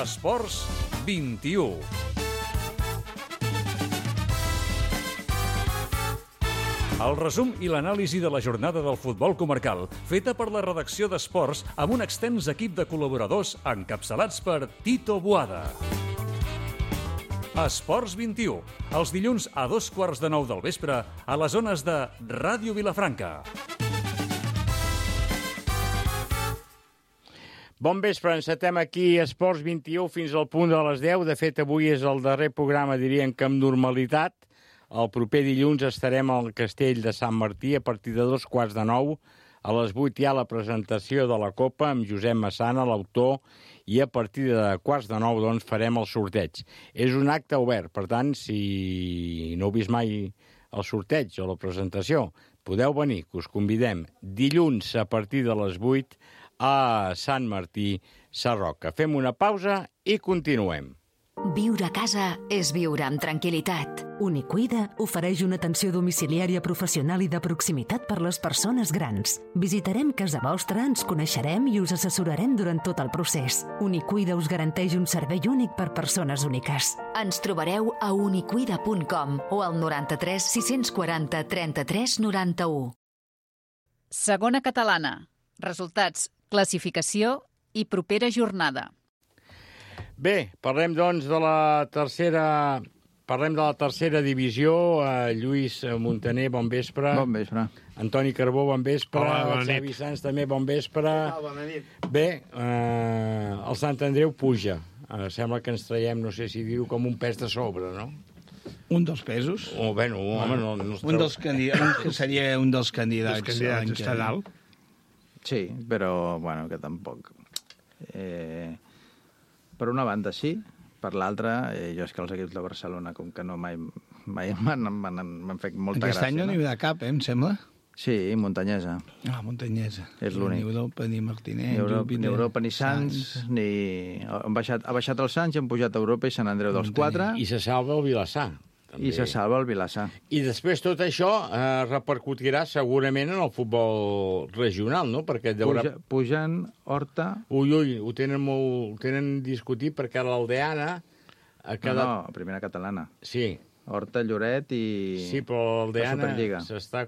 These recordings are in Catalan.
Esports 21. El resum i l'anàlisi de la jornada del futbol comarcal, feta per la redacció d'Esports amb un extens equip de col·laboradors encapçalats per Tito Boada. Esports 21, els dilluns a 8:15 del vespre a les zones de Ràdio Vilafranca. Bon vespre, encetem aquí Esports 21 fins al punt de les 10. De fet, avui és el darrer programa, diríem que amb normalitat. El proper dilluns estarem al Castell de Sant Martí a partir de 8:15. A les 8 hi ha la presentació de la Copa amb Josep Massana, l'autor, i a partir de 8:15 doncs, farem el sorteig. És un acte obert, per tant, si no heu vist mai el sorteig o la presentació, podeu venir, que us convidem dilluns a partir de les 8 a Sant Martí Sarroca. Fem una pausa i continuem. Viure a casa és viure amb tranquil·litat. Unicuida ofereix una atenció domiciliària professional i de proximitat per les persones grans. Visitarem casa vostra, ens coneixerem i us assessorarem durant tot el procés. Unicuida us garanteix un servei únic per persones úniques. Ens trobareu a unicuida.com o al 93 640 33 91. Segona catalana. Resultats, classificació i propera jornada. Bé, parlem doncs de la tercera divisió. Lluís Montaner, bon vespre. Bon vespre. Antoni Carbó, bon vespre. Hola, bona nit. Xavi Sans, també bon vespre. Bona nit. Bé, el Sant Andreu puja. Sembla que ens traiem, no sé si dir-ho, com un pes de sobre, no? Un dels pesos. Bueno, home, no Un dels candidats, que seria un dels candidats. Els candidats està dalt. Sí, però, bueno, que tampoc. Per una banda, sí. Per l'altra, jo és que els equips de Barcelona, com que no mai m'han fet molta gràcia. Aquest any no n'hi haurà cap, em sembla? Sí, Muntanyesa. Muntanyesa. És l'únic. Ni Europa, ni Martínez. Ni Europa, ni Sants, ni... Ha baixat el Sants i han pujat a Europa i Sant Andreu dels 4. I se salva el Vilassar. També. I se salva el Vilassar. I després tot això repercutirà segurament en el futbol regional, no? Perquè Pugen Horta... Ui, ho tenen discutit perquè l'Aldeana ha quedat... No, primera catalana. Sí. Horta, Lloret i... Sí, però l'Aldeana s'està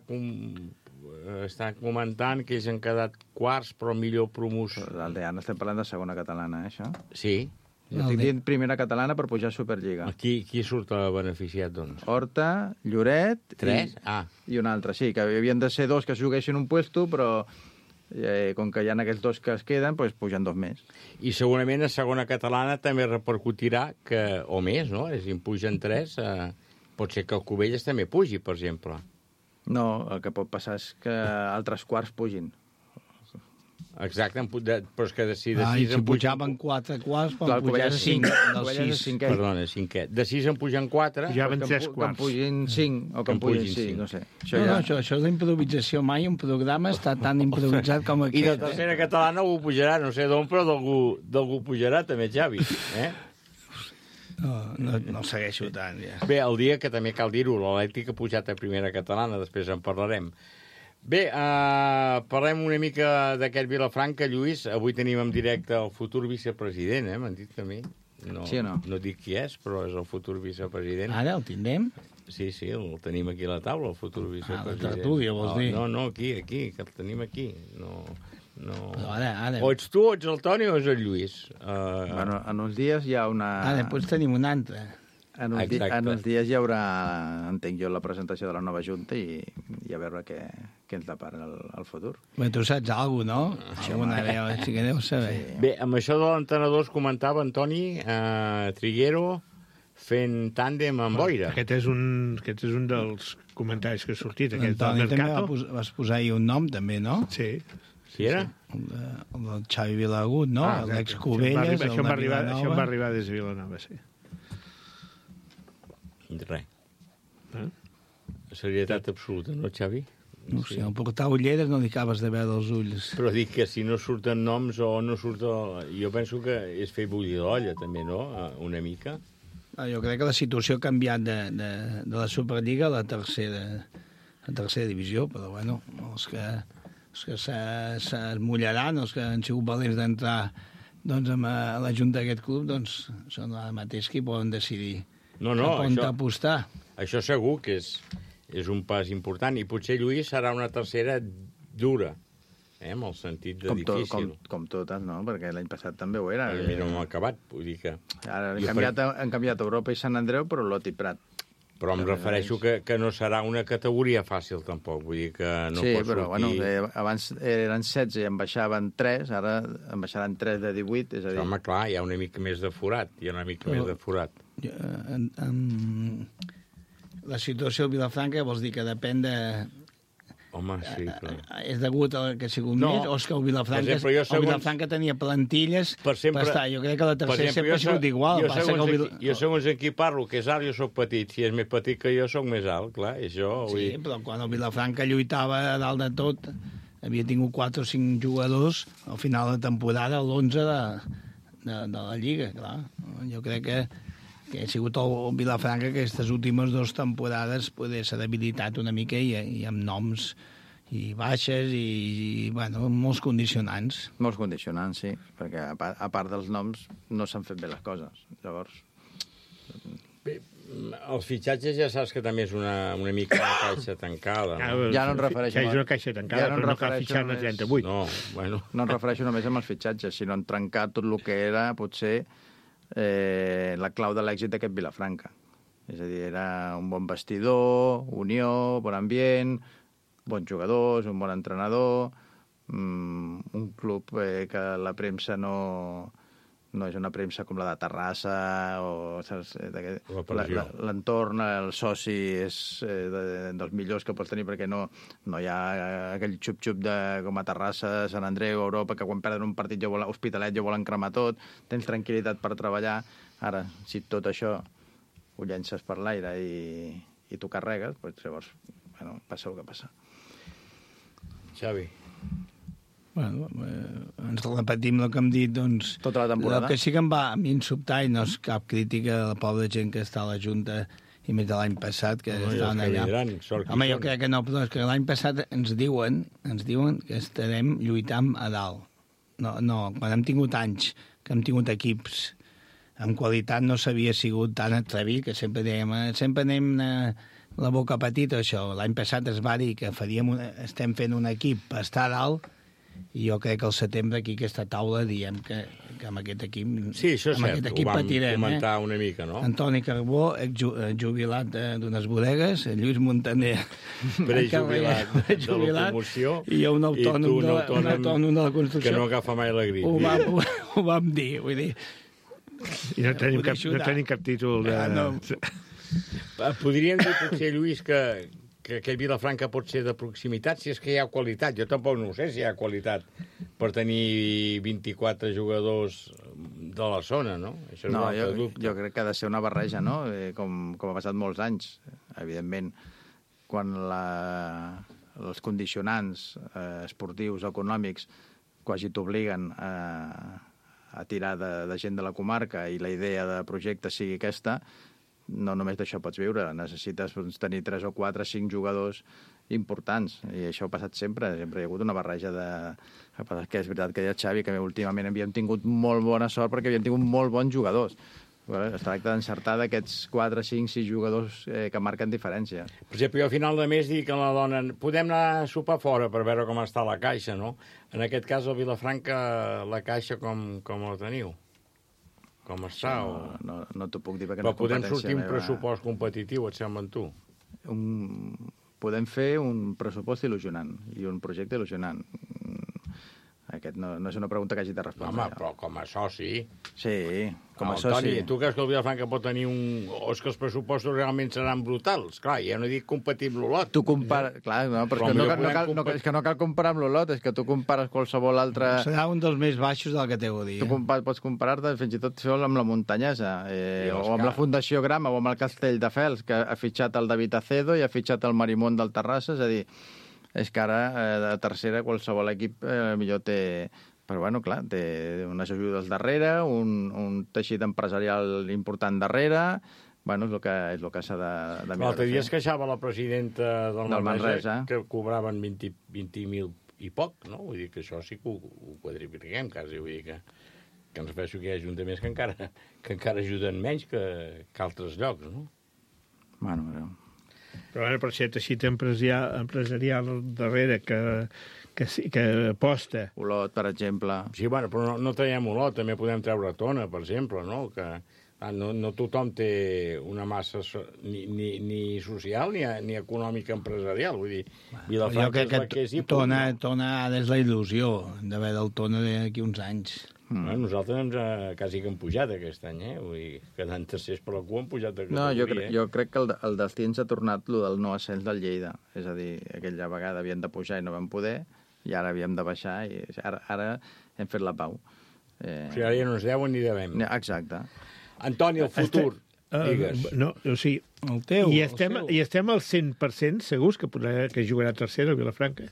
comentant que ells han quedat quarts, però millor promoció. L'Aldeana estem parlant de segona catalana, això? Sí. Jo estic dient primera catalana per pujar a Superliga. Qui surt beneficiat, doncs? Horta, Lloret... 3? I un altre, sí, que havien de ser 2 que juguessin un puesto, però com que hi ha aquells 2 que es queden, doncs pugen 2 més. I segurament a segona catalana també repercutirà o més, no? Si en pugen 3, pot ser que el Cubelles també pugi, per exemple. No, el que pot passar és que altres quarts pugin. Exacte, però és que si de 6 si pujaven 4 quarts, quan pujaven 5 del 6. Perdona, 5è. De 6 en pugen 4. Pujaven 3 quarts. Que en pugin 5 o que en pugin 6, no sé. Això és l'improvisació. Mai un programa està tan improvisat com aquest. I de tercera catalana algú pujarà, no sé d'on, però d'algú pujarà també, Xavi. No segueixo tant, ja. Bé, el dia que també cal dir-ho, l'Atlètic ha pujat a primera catalana, després en parlarem. Bé, parlem una mica d'aquest Vilafranca, Lluís. Avui tenim en directe el futur vicepresident, m'han dit a mi. Sí o no? No dic qui és, però és el futur vicepresident. Ara el tindrem? Sí, el tenim aquí a la taula, el futur vicepresident. La tertúlia, vols dir? No, aquí, que el tenim aquí. No. Ara. O ets tu, o ets el Toni, o és el Lluís? Bueno, en uns dies hi ha una... Després tenim una altra. En uns dies hi haurà, entenc jo, la presentació de la nova Junta i a veure què ens depara el futur. Bé, tu saps alguna cosa, no? Això sí que deus saber. Sí. Bé, amb això de l'entenedor es comentava, Antoni, Triguero fent tàndem amb Boira. Aquest és un dels comentaris que ha sortit, aquest del Antoni Mercato. també vas posar ahir un nom, també, no? Sí. Qui era? El del Xavi Vilagut, no? L'ex-Cubelles, el de Vilanova. Això em va arribar des de Vilanova, sí. Res. Serietat absoluta, no, Xavi? No sé, al portar ulleres no li acabes de veure els ulls. Però dic que si no surten noms o no surt... Jo penso que és fer bullir l'olla, també, no? Una mica. Jo crec que la situació ha canviat de la Superliga a la tercera divisió, però bueno, els que es mullaran, els que han sigut valents d'entrar doncs amb la junta d'aquest club doncs, són ara mateix que poden decidir No, on apostar. això segur que és un pas important, i potser, Lluís, serà una tercera dura, amb el sentit de difícil. Com totes, no? Perquè l'any passat també ho era. Mira, no hem acabat, vull dir que... Ara han canviat Europa i Sant Andreu, però Lot i Prat. Però em refereixo que no serà una categoria fàcil, tampoc. Vull dir que no pot però sortir... abans eren 16 i en baixaven 3, ara en baixaran 3 de 18, és a dir... Home, clar, hi ha una mica més de forat. La situació de Vilafranca vols dir que depèn de... Home, sí, però... És degut a que ha sigut més, o és que el Vilafranca tenia plantilles per estar. Jo crec que la tercera sempre ha sigut igual. Jo segons en qui parlo, que és alt, jo soc petit. Si és més petit que jo, soc més alt, clar. Sí, però quan el Vilafranca lluitava a dalt de tot, havia tingut 4 o 5 jugadors al final de temporada, l'11 de la Lliga, clar. Jo crec que ha sigut el Vilafranca que aquestes últimes 2 temporades s'ha debilitat una mica i amb noms i baixes i molts condicionants. Molts condicionants, sí, perquè a part dels noms no s'han fet bé les coses. Llavors... Bé, els fitxatges ja saps que també és una mica una caixa tancada. No? Ja no em refereixo... És una caixa tancada, però no cal fitxar-ne 38. No, bueno... No em refereixo només amb els fitxatges, sinó en trencar tot el que era, potser... la clau de l'èxit d'aquest Vilafranca. És a dir, era un bon vestidor, unió, bon ambient, bons jugadors, un bon entrenador, un club que la premsa no és una premsa com la de Terrassa, o l'entorn, el soci és dels millors que pots tenir perquè no hi ha aquell xup-xup com a Terrassa, Sant Andreu, Europa, que quan perden un partit Hospitalet ja volen cremar tot, tens tranquil·litat per treballar. Ara, si tot això ho llences per l'aire i t'ho carregues, doncs llavors passa el que passa. Xavi. Ens repetim el que hem dit, doncs... Tota la temporada. El que sí que em va a mi sobtar, i no és cap crítica a la pobra gent que està a la Junta, i més de l'any passat, que estaven allà. Home, jo crec que no, però és que l'any passat ens diuen que estarem lluitant a dalt. No, quan hem tingut anys, que hem tingut equips amb qualitat, no s'havia sigut tan atrevit, que sempre dèiem, sempre anem la boca petita, això. L'any passat es va dir que estem fent un equip per estar a dalt, i jo crec que al setembre aquí aquesta taula diem que amb aquest equip sí, això és cert, ho vam comentar una mica, no? Antoni Carbó, jubilat d'unes bodegues, Lluís Montaner prejubilat de la promoció, i jo un autònom de la construcció que no agafa mai la grip. Ho vam dir, vull dir. I no tenim cap títol de... Podríem dir potser, Lluís, que aquest Vilafranca pot ser de proximitat, si és que hi ha qualitat. Jo tampoc no ho sé si hi ha qualitat per tenir 24 jugadors de la zona, no? Això és un altre dubte. Jo crec que ha de ser una barreja, no? Com ha passat molts anys, evidentment. Quan els condicionants esportius, econòmics, quasi t'obliguen a tirar de gent de la comarca i la idea de projecte sigui aquesta, no només d'això pots viure, necessites tenir 3 o 4 o 5 jugadors importants, i això ha passat sempre hi ha hagut una barreja que és veritat que deia Xavi, que últimament havíem tingut molt bona sort perquè havíem tingut molt bons jugadors. Es tracta d'encertar d'aquests 4, 5, 6 jugadors que marquen diferència. Per exemple, jo al final de mes dic a la dona podem anar a sopar fora per veure com està la caixa, no? En aquest cas, a Vilafranca, la caixa com la teniu? Com està? No t'ho puc dir perquè no és competència meva. Però podem sortir un pressupost competitiu, et sembla, en tu? Podem fer un pressupost il·lusionant i un projecte il·lusionant. Aquest no és una pregunta que hagi de respondre. Home, però com a soci... Sí, com a soci... Toni, tu creus que el Vilafranca pot tenir o és que els pressupostos realment seran brutals? Clar, ja no dic compatible l'Olot. Tu compares... Clar, no, però és que no cal comparar amb l'Olot, és que tu compares qualsevol altre... Serà un dels més baixos de la categoria. Tu pots comparar-te fins i tot amb la Muntanyesa, o amb la Fundació Grama, o amb el Castelldefels, que ha fitxat el David Acedo i ha fitxat el Marimón del Terrassa, és a dir... És que ara, de tercera, qualsevol equip millor té... Però, bueno, clar, té unes ajudes darrere, un teixit empresarial important darrere... Bueno, és el que s'ha de mirar. L'altre dia es queixava la presidenta del Manresa que cobraven 20.000 i poc, no? Vull dir que això sí que ho quadripliquem, quasi, vull dir que... que ens refereixo que hi ha ajuntaments que encara ajuden menys que altres llocs, no? Bueno, però per ser teixit empresarial darrere que aposta. Olot, per exemple. Sí, bueno, però no traiem Olot, també podem treure Tona, per exemple, no? Que no tothom té una massa ni social ni econòmica empresarial, vull dir, Vilafranca és la que és i punt. Tona és la il·lusió d'haver del Tona d'aquí uns anys. Bueno, nosaltres ens quasi que hem pujat aquest any, Vull dir, quedant tercers per la cua hem pujat de categoria. Jo crec que el destí ens ha tornat lo del no ascens del Lleida. És a dir, aquella vegada havíem de pujar i no vam poder, i ara havíem de baixar, i ara hem fet la pau. O sigui, ara ja no ens deuen ni devem. Exacte. Antoni, el futur, digues. No, o sigui, el teu, i estem al 100% segurs que jugarà tercera a Vilafranca?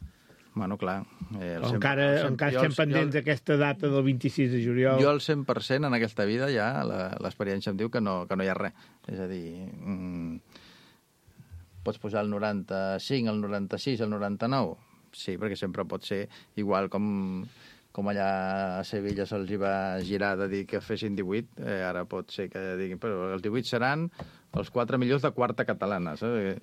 Bueno, clar. Encara estem pendents d'aquesta data del 26 de juliol. Jo al 100% en aquesta vida ja l'experiència em diu que no hi ha res. És a dir, pots posar el 95, el 96, el 99? Sí, perquè sempre pot ser igual com allà a Sevilla se'ls va girar de dir que fessin 18, ara pot ser que diguin, però els 18 seran els 4 millors de quarta catalana, saps?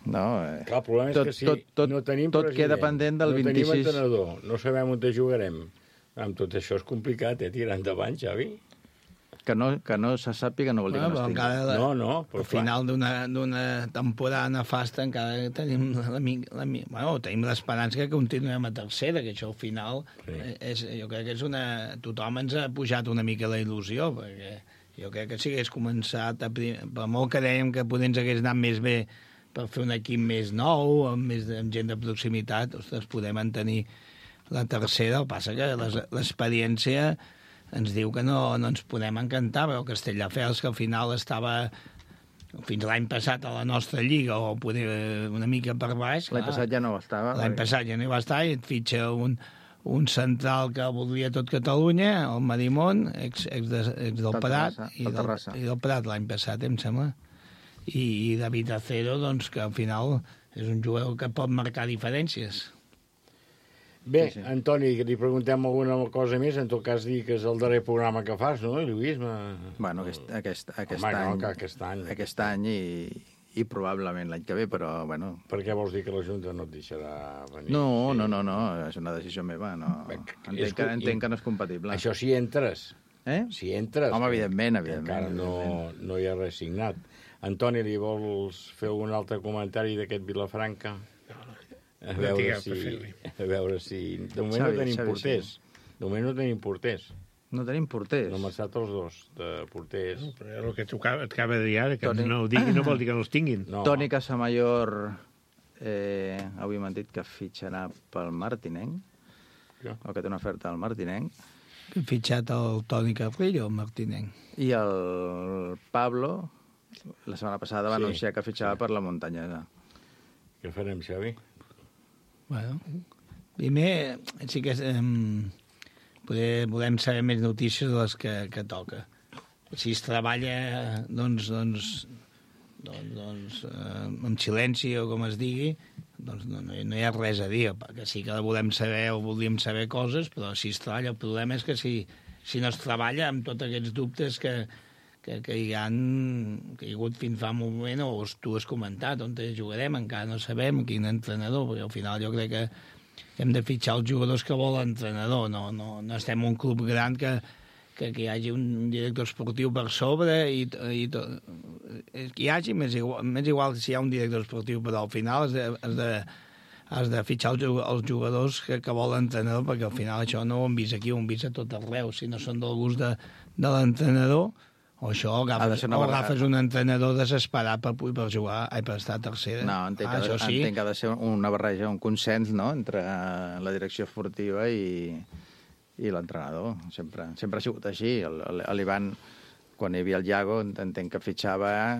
No, clar, el problema és que si no tenim tot queda pendent del 26. No tenim entrenador, no sabem on jugarem. Amb tot això és complicat, tirar endavant, Xavi. Que no se sàpiga no vol dir que no es tingui. No, al final d'una temporada nefasta encara tenim tenim l'esperança que continuem a tercera, que això al final jo crec que és tothom ens ha pujat una mica la il·lusió, perquè jo crec que si hagués començat, per molt que dèiem que potser ens hagués anat més bé per fer un equip més nou, amb gent de proximitat, ostres, podem mantenir la tercera. El que passa que l'experiència ens diu que no ens podem encantar, però Castelldefels, que al final estava fins l'any passat a la nostra lliga, o poder una mica per baix... L'any passat ja no estava. L'any passat ja no hi va estar, i et fitxa un central que voldria tot Catalunya, el Marimón, ex del Prat, i del Prat l'any passat, em sembla. I David Acero, doncs, que al final és un jugador que pot marcar diferències. Bé, sí. Antoni, que li preguntem alguna cosa més, en tot cas dir que és el darrer programa que fas, no, Lluís? Bueno, aquest any i probablement l'any que ve, però, bueno... Per què vols dir que la Junta no et deixarà venir? No, és una decisió meva, no. Entenc que no és compatible. Això si entres. Si entres. Home, evidentment. Encara no hi ha res signat. Antoni, li vols fer algun altre comentari d'aquest Vilafranca? A veure si... De moment no tenim porters. De moment no tenim porters. No tenim porters? No m'ha estat els dos de porters. No, però el que et acaba de dir ara, que no ho digui, no vol dir que no els tinguin. No. Toni Casamayor, avui m'han dit que fitxarà pel Martinenc, o que té una oferta al Martinenc. Que ha fitxat el Toni Carrillo, el Martinenc. I el Pablo... La setmana passada va anunciar que fitxava per la Muntanyesa. Què farem, Xavi? Bueno, primer sí que volem saber més notícies de les que toca. Si es treballa, doncs amb silenci o com es digui, doncs no hi ha res a dir, perquè sí que volem saber o voldríem saber coses, però si es treballa, el problema és que si no es treballa amb tots aquests dubtes que hi ha hagut fins fa un moment, o tu has comentat, on jugarem, encara no sabem quin entrenador, perquè al final jo crec que hem de fitxar els jugadors que vol l'entrenador, no estem un club gran que hi hagi un director esportiu per sobre i tot. Que hi hagi, més igual si hi ha un director esportiu, però al final has de fitxar els jugadors que vol l'entrenador, perquè al final això no ho hem vist aquí, ho hem vist a tot arreu. Si no són del gust de l'entrenador, o això, agafes un entrenador desesperat per jugar, per estar a tercera. No, entenc que ha de ser una barreja, un consens, no?, entre la direcció esportiva i l'entrenador. Sempre ha sigut així. L'Ivan, quan hi havia el Iago, entenc que fitxava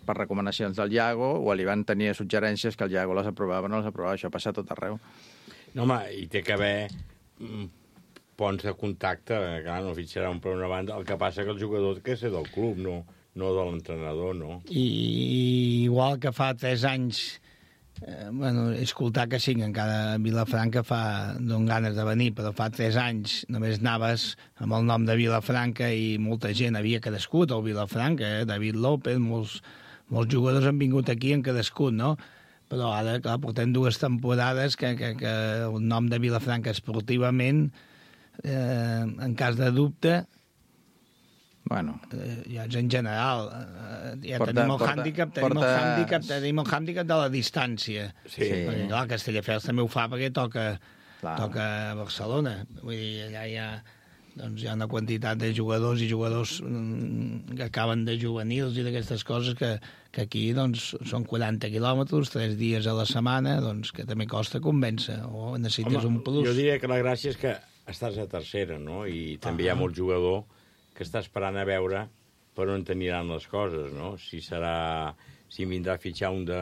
per recomanacions del Iago, o l'Ivan tenia suggerències que el Iago les aprovava o no les aprovava. Això passa a tot arreu. No, home, hi té que haver ponts de contacte, clar, no fitxarà un per una banda. El que passa que el jugador que és del club, no de l'entrenador, no? I igual que fa 3 anys escoltar que sí, que encara a Vilafranca donen ganes de venir, però fa 3 anys només anaves amb el nom de Vilafranca i molta gent havia cadascut al Vilafranca, David López, molts jugadors han vingut aquí i han cadascut, no? Però ara, clar, portem 2 temporades que el nom de Vilafranca esportivament, en cas de dubte, Bueno. Ja en general, tenim el hàndicap de la distància. Sí. Perquè, clar, Castelldefels també ho fa perquè toca Barcelona. Vull dir, allà hi ha una quantitat de jugadors i jugadors que acaben de juvenils i d'aquestes coses que aquí són 40 quilòmetres, 3 dies a la setmana, que també costa convèncer, o necessites un plus. Jo diria que la gràcia és que estàs a tercera, no? I també hi ha molt jugador que està esperant a veure per on t'aniran les coses, no? Si vindrà a fitxar un de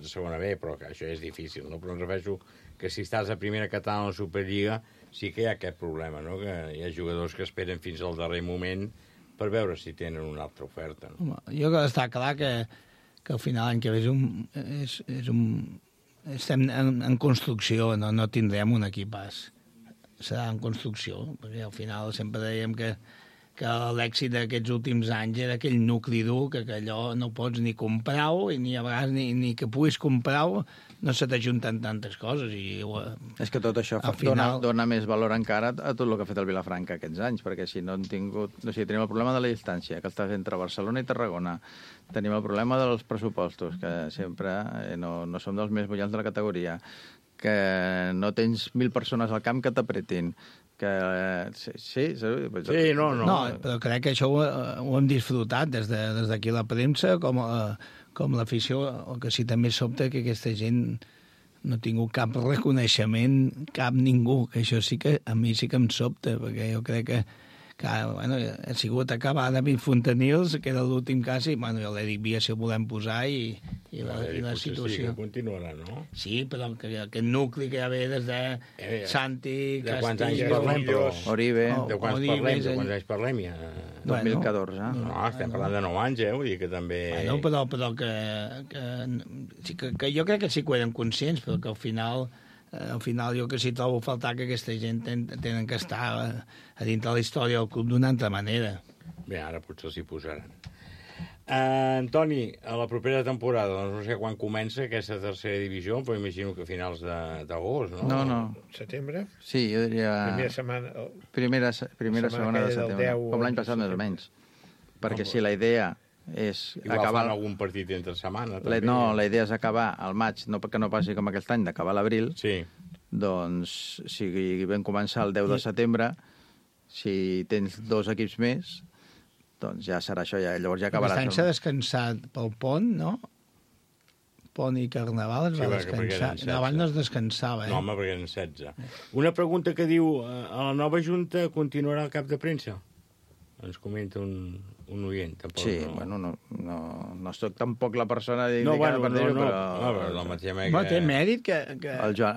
segona B, però que això és difícil, no? Però em refereixo que si estàs a primera catalana a la Superliga sí que hi ha aquest problema, no? Que hi ha jugadors que esperen fins al darrer moment per veure si tenen una altra oferta, no? Home, jo crec que està clar que al final l'any que ve estem en construcció, no tindrem un equipàs. Serà en construcció, perquè al final sempre dèiem que l'èxit d'aquests últims anys era aquell nucli dur, que allò no pots ni comprar-ho, i ni a vegades ni que puguis comprar-ho, no se t'ajunten tantes coses. És que tot això dona més valor encara a tot el que ha fet el Vilafranca aquests anys, perquè si no han tingut... O sigui, tenim el problema de la distància, que estàs entre Barcelona i Tarragona. Tenim el problema dels pressupostos, que sempre no som dels més bullants de la categoria, que no tens 1.000 persones al camp que t'apretin, que... Sí, no, però crec que això ho hem disfrutat des d'aquí la premsa, com l'afició, o que sí també sobta que aquesta gent no ha tingut cap reconeixement, cap ningú, que això sí que a mi sí que em sobta, perquè jo crec que ha sigut acabar David Fontanils, que era l'últim cas, i l'Eric Via si el volem posar, i la situació. Sí, que continuarà, no? Sí, però aquest nucli que ja ve des de Santi, de quants anys parlem, però... Oribe. De quants anys parlem, ja? 2014. No, estem parlant de 9 anys, vull dir que també... Però que jo crec que sí que ho eren conscients, però que al final jo que sí trobo a faltar que aquesta gent tenen que estar a dintre la història del club d'una altra manera. Bé, ara potser s'hi posaran. Antoni, a la propera temporada, no sé quan comença aquesta tercera divisió, però imagino que a finals d'agost, no? No. Setembre? Sí, jo diria... Primera setmana... Primera setmana de setembre. Com l'any passat, més o menys. Perquè si la idea és igual acabar... fan algun partit entre setmana, també. No, la idea és acabar al maig, no perquè no passi com aquest any, d'acabar a l'abril. Sí. Doncs, si vam començar el 10 de setembre, si tens 2 equips més, doncs ja serà això, llavors ja acabarà. Aquest any s'ha descansat pel pont, no? Pont i Carnaval es va descansar. Abans no es descansava, No, home, perquè eren 16. Una pregunta que diu, a la nova Junta continuarà el cap de premsa? Ens comenta un oient, tampoc. Sí, bueno, no soc tampoc la persona indicada per dir-ho, però... Té mèrit que... El Joan.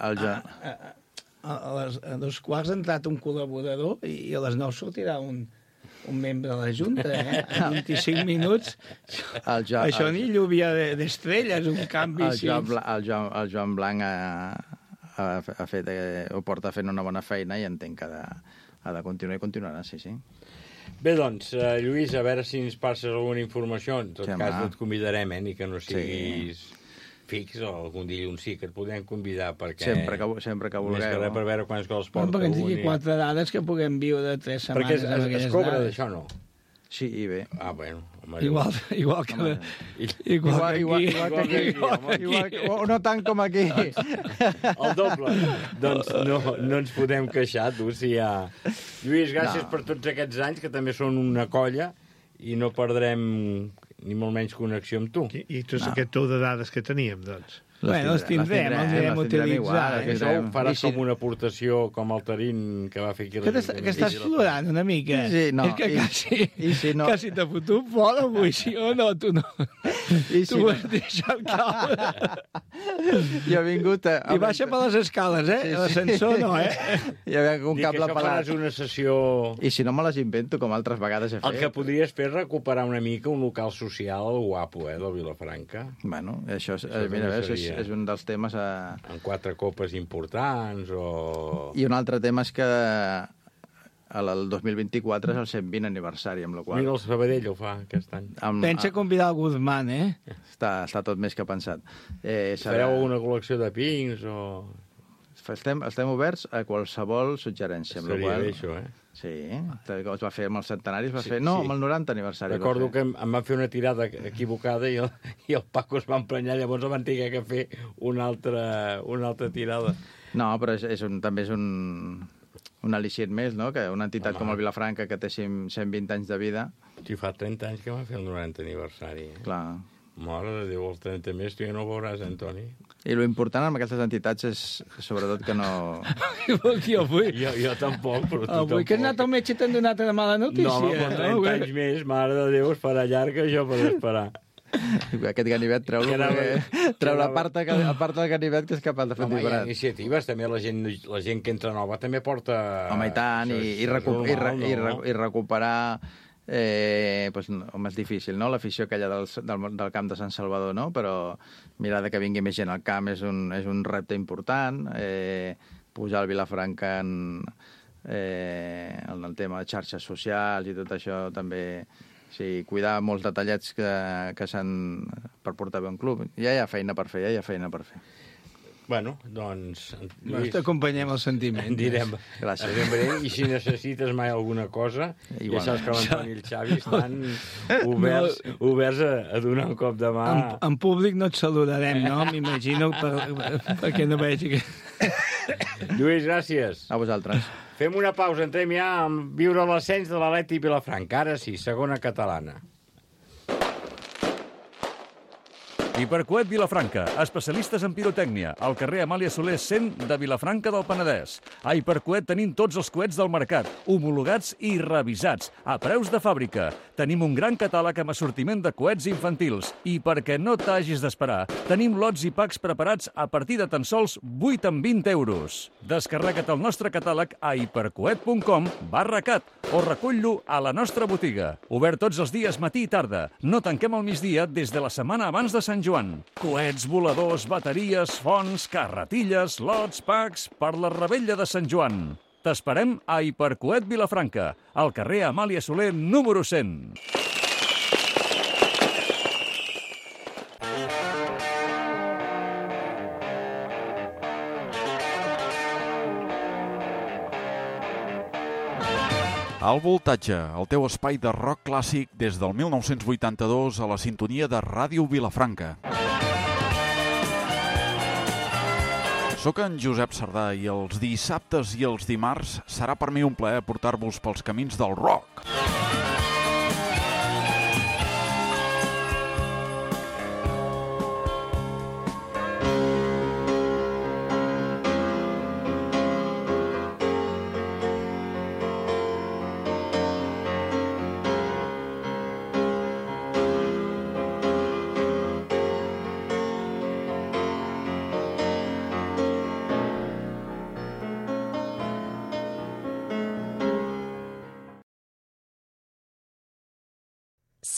A 2:15 ha entrat un col·laborador i a les 9 sortirà un membre de la Junta, A 25 minuts. Això ni lluvia d'estrelles, un canvi així. El Joan Blanc ho porta fent una bona feina i entenc que ha de continuar i continuarà, sí. Bé, doncs, Lluís, a veure si ens passes alguna informació. En tot cas, et convidarem, ni que no siguis fix, o algun dilluns sí que et podem convidar, perquè... Sempre que vulgueu. Més que res per veure quants gols porta un. Perquè ens digui 4 dades que puguem viure 3 setmanes. Perquè es cobra d'això, no? Sí, i bé. Bueno. Igual que aquí. O no tant com aquí. El doble. Doncs no ens podem queixar, tu, si hi ha... Lluís, gràcies per tots aquests anys, que també són una colla, i no perdrem ni molt menys connexió amb tu. I tot aquest tou de dades que teníem, doncs? Els tindrem, els anirem a utilitzar. Això ho faràs com una aportació com el Tarín que va fer aquí. Que estàs plorant una mica. Sí, no. És que quasi t'ha fotut fora avui, sí o no? Tu no. Tu ho has deixat caure. Jo he vingut... I baixa per les escales, l'ascensor no, Hi havia un cable pelat. Això faràs una sessió... I si no me les invento, com altres vegades he fet. El que podries fer és recuperar una mica un local social guapo, del Vilafranca. Bueno, això mira, a veure és un dels temes... En 4 copes importants o... I un altre tema és que el 2024 és el 120 aniversari, amb la qual... Mira, el Sabadell ho fa aquest any. Pensa convidar el Guzmán, Està tot més que pensat. Fareu una col·lecció de pins o... Estem oberts a qualsevol suggerència. Seria bé, això, Sí, es va fer amb el centenari, amb el 90 aniversari. Recordo que em van fer una tirada equivocada i el Paco es va emprenyar, llavors em van tenir que fer una altra tirada. No, però també és un al·licient més, no? Que una entitat com el Vilafranca, que té 120 anys de vida... Sí, fa 30 anys que va fer el 90 aniversari. Clar. Mare de Déu, els 30 més, tu ja no ho veuràs, Antoni. I l'important amb aquestes entitats és, sobretot, que no... Jo tampoc, però tu tampoc. Avui que has anat al metge t'han donat una mala notícia. No, home, 30 anys més, mare de Déu, es farà llarg això per esperar. Aquest ganivet treu la part del ganivet que és capaç de fer un diferent. Hi ha iniciatives, també la gent que entra nova també porta... Home, i tant, i recuperar... home, és difícil, no?, l'afició aquella del camp de Sant Salvador, no?, però mirar que vingui més gent al camp és un repte important, pujar al Vilafranca en el tema de xarxes socials i tot això també, sí, cuidar molts detallets que s'han per portar bé un club. Ja hi ha feina per fer, Bueno, doncs... Lluís, t'acompanyem el sentiment. Direm. Gràcies. I si necessites mai alguna cosa, ja saps que l'Antoni i el Xavi estan oberts a donar un cop de mà. En públic no et saludarem, no? M'imagino, perquè no vegi que... Lluís, gràcies. A vosaltres. Fem una pausa, entrem ja a viure l'ascens de l'Atleti Vilafranca. Ara sí, segona catalana. Hipercoet Vilafranca, especialistes en pirotècnia, al carrer Amàlia Soler 100 de Vilafranca del Penedès. A Hipercoet tenim tots els coets del mercat, homologats i revisats, a preus de fàbrica. Tenim un gran catàleg amb assortiment de coets infantils. I perquè no t'hagis d'esperar, tenim lots i packs preparats a partir de tan sols 8 amb 20 euros. Descarrega't el nostre catàleg a hipercoet.com/cat o recull-lo a la nostra botiga. Obert tots els dies matí i tarda. No tanquem al migdia des de la setmana abans de Sant Joan. Coets, voladors, bateries, fonts, carretilles, lots, packs per la revetlla de Sant Joan. T'esperem a Hipercoet Vilafranca, al carrer Amàlia Soler número 100. Al Voltatge, el teu espai de rock clàssic des del 1982 a la sintonia de Ràdio Vilafranca. Soc en Josep Sardà i els dissabtes i els dimarts serà per mi un plaer portar-vos pels camins del rock.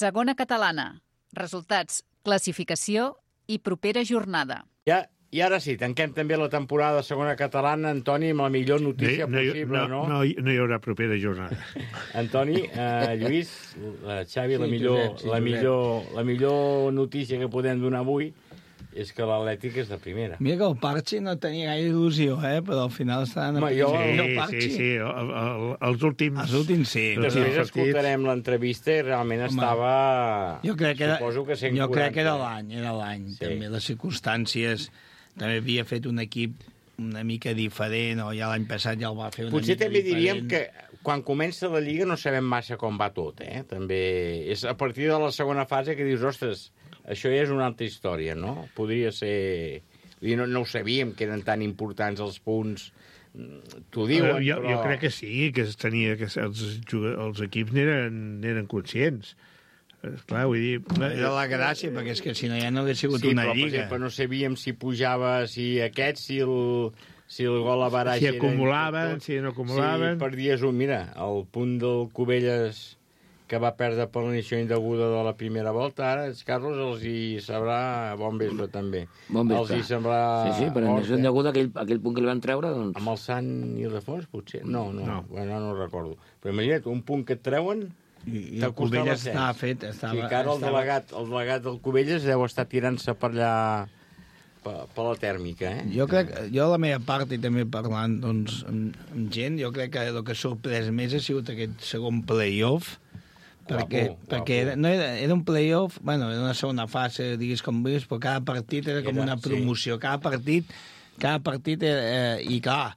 Segona catalana. Resultats, classificació i propera jornada. I ara sí, tanquem també la temporada de segona catalana, Antoni, amb la millor notícia possible, no? No hi haurà propera jornada. Antoni, Lluís, Xavi, la millor notícia que podem donar avui és que l'Atlètic és de primera. Mira que el Parchi no tenia gaire il·lusió, però al final estaran... Sí, els últims... Els últims, sí. Després escoltarem l'entrevista i realment estava... Jo crec que era l'any, Sí. també les circumstàncies... També havia fet un equip una mica diferent, o ja l'any passat ja el va fer una Potser mica també diferent. Diríem que quan comença la Lliga no sabem massa com va tot, També és a partir de la segona fase que dius, ostres, això ja és una altra història, no? Podria ser... No ho sabíem, que eren tan importants els punts. T'ho diuen, jo però... Jo crec que sí, que els equips n'eren conscients. Clar, vull dir... Era la gràcia, perquè és que si no ja no hauria sigut una Lliga. Sí, però, per exemple, no sabíem si pujava, si el gol a baraix... Si acumulaven, si no acumulaven... Si perdies un... Mira, el punt del Cubelles que va perdre per l'inició indeguda de la primera volta. Ara, Carlos, els hi sabrà bon vespre, també. Bon vespre. Els hi semblarà... Sí, per l'inició indeguda, aquell punt que li van treure, doncs... Amb el Sant Ildefons, potser? No. Bueno, no recordo. Però imagina't, un punt que et treuen... I el Cubelles estava fet. Sí, que ara el delegat del Cubelles deu estar tirant-se per allà... per la tèrmica, eh? Jo la meva part, i també parlant doncs, amb gent, jo crec que el que ha sorprès més ha sigut aquest segon play-off, perquè era un play-off, bueno, era una segona fase, diguis com vulguis, però cada partit era com una promoció. Sí. Cada partit era, i clar,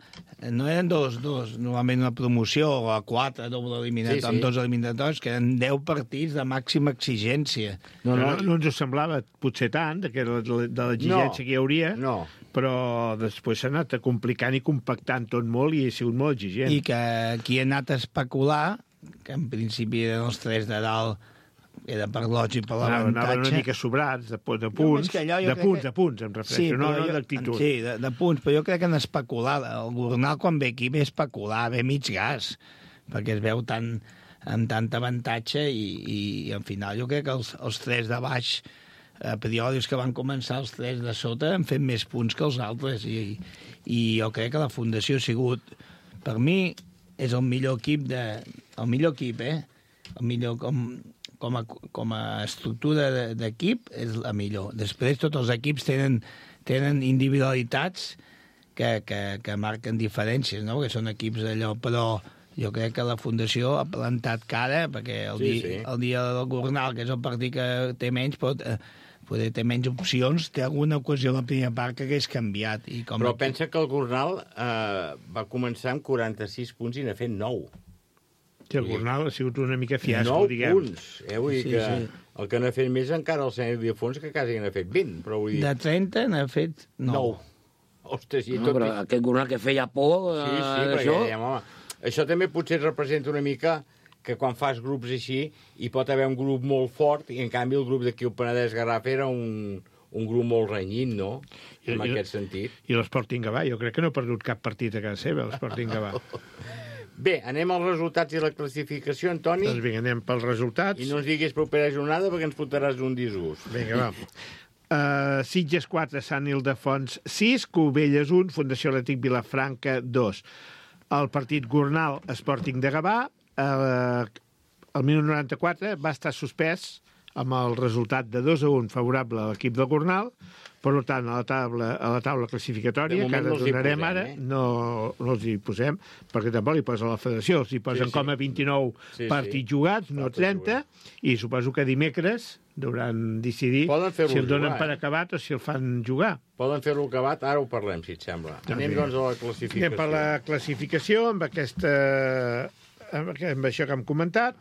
no eren dos, normalment una promoció, o a 4, doble eliminatori, amb 2 eliminatoris, que eren 10 partits de màxima exigència. No ens ho semblava potser tant, de l'exigència que hi hauria, però després s'ha anat complicant i compactant tot molt i ha sigut molt exigent. I que qui ha anat a especular, que en principi eren els 3 de dalt, era per lògic, per l'avantatge... Anaven una mica sobrats, de punts, em refereixo, no d'actitud. Sí, de punts, però jo crec que en especular, el Gornal quan ve aquí ve especular, ve mig gas, perquè es veu amb tant avantatge i al final jo crec que els 3 de baix, a priori que van començar els 3 de sota, han fet més punts que els altres i jo crec que la Fundació ha sigut, per mi, és el millor equip, el millor com a estructura d'equip és la millor. Després tots els equips tenen individualitats que marquen diferències, no? Que són equips d'allò, però jo crec que la Fundació ha plantat cara, perquè el dia del Gornal, que és el partit que té menys, poder té menys opcions, té alguna ocasió a la primera part que hagués canviat. Però pensa que el Gornal va començar amb 46 punts i n'ha fet 9. Sí, el Gornal ha sigut una mica fiasco, diguem. 9 punts. Vull dir que el que n'ha fet més encara el Sant Ildefons, que quasi n'ha fet 20. Però vull dir... De 30 n'ha fet 9. Ostres, i tot... Però aquest Gornal que feia por... Sí, perquè dèiem, home, això també potser representa una mica que quan fas grups així hi pot haver un grup molt fort i en canvi el grup d'aquí el Penedès Garraf era un grup molt renyit, no? En aquest sentit. I l'Sporting Gavà, jo crec que no ha perdut cap partit a casa seva, l'Sporting Gavà. Bé, anem als resultats i la classificació, Antoni. Doncs vinga, anem pels resultats. I no ens diguis propera jornada perquè ens fotràs un disgust. Vinga, va. Sitges 4, Sant Ildefons 6, Cubelles 1, Fundació Atlètic Vilafranca 2. El partit Gornal Sporting de Gavà, el minut 94, va estar suspès amb el resultat de 2-1 favorable a l'equip del Gornal. Per tant, a la taula classificatòria, que ara donarem ara, no els hi posem, perquè tampoc li posa la federació, els hi posen com a 29 partits jugats, no 30, i suposo que dimecres deuen decidir si el donen per acabat o si el fan jugar. Poden fer-lo acabat, ara ho parlem, si et sembla. Anem, doncs, a la classificació. Anem per la classificació, amb això que hem comentat,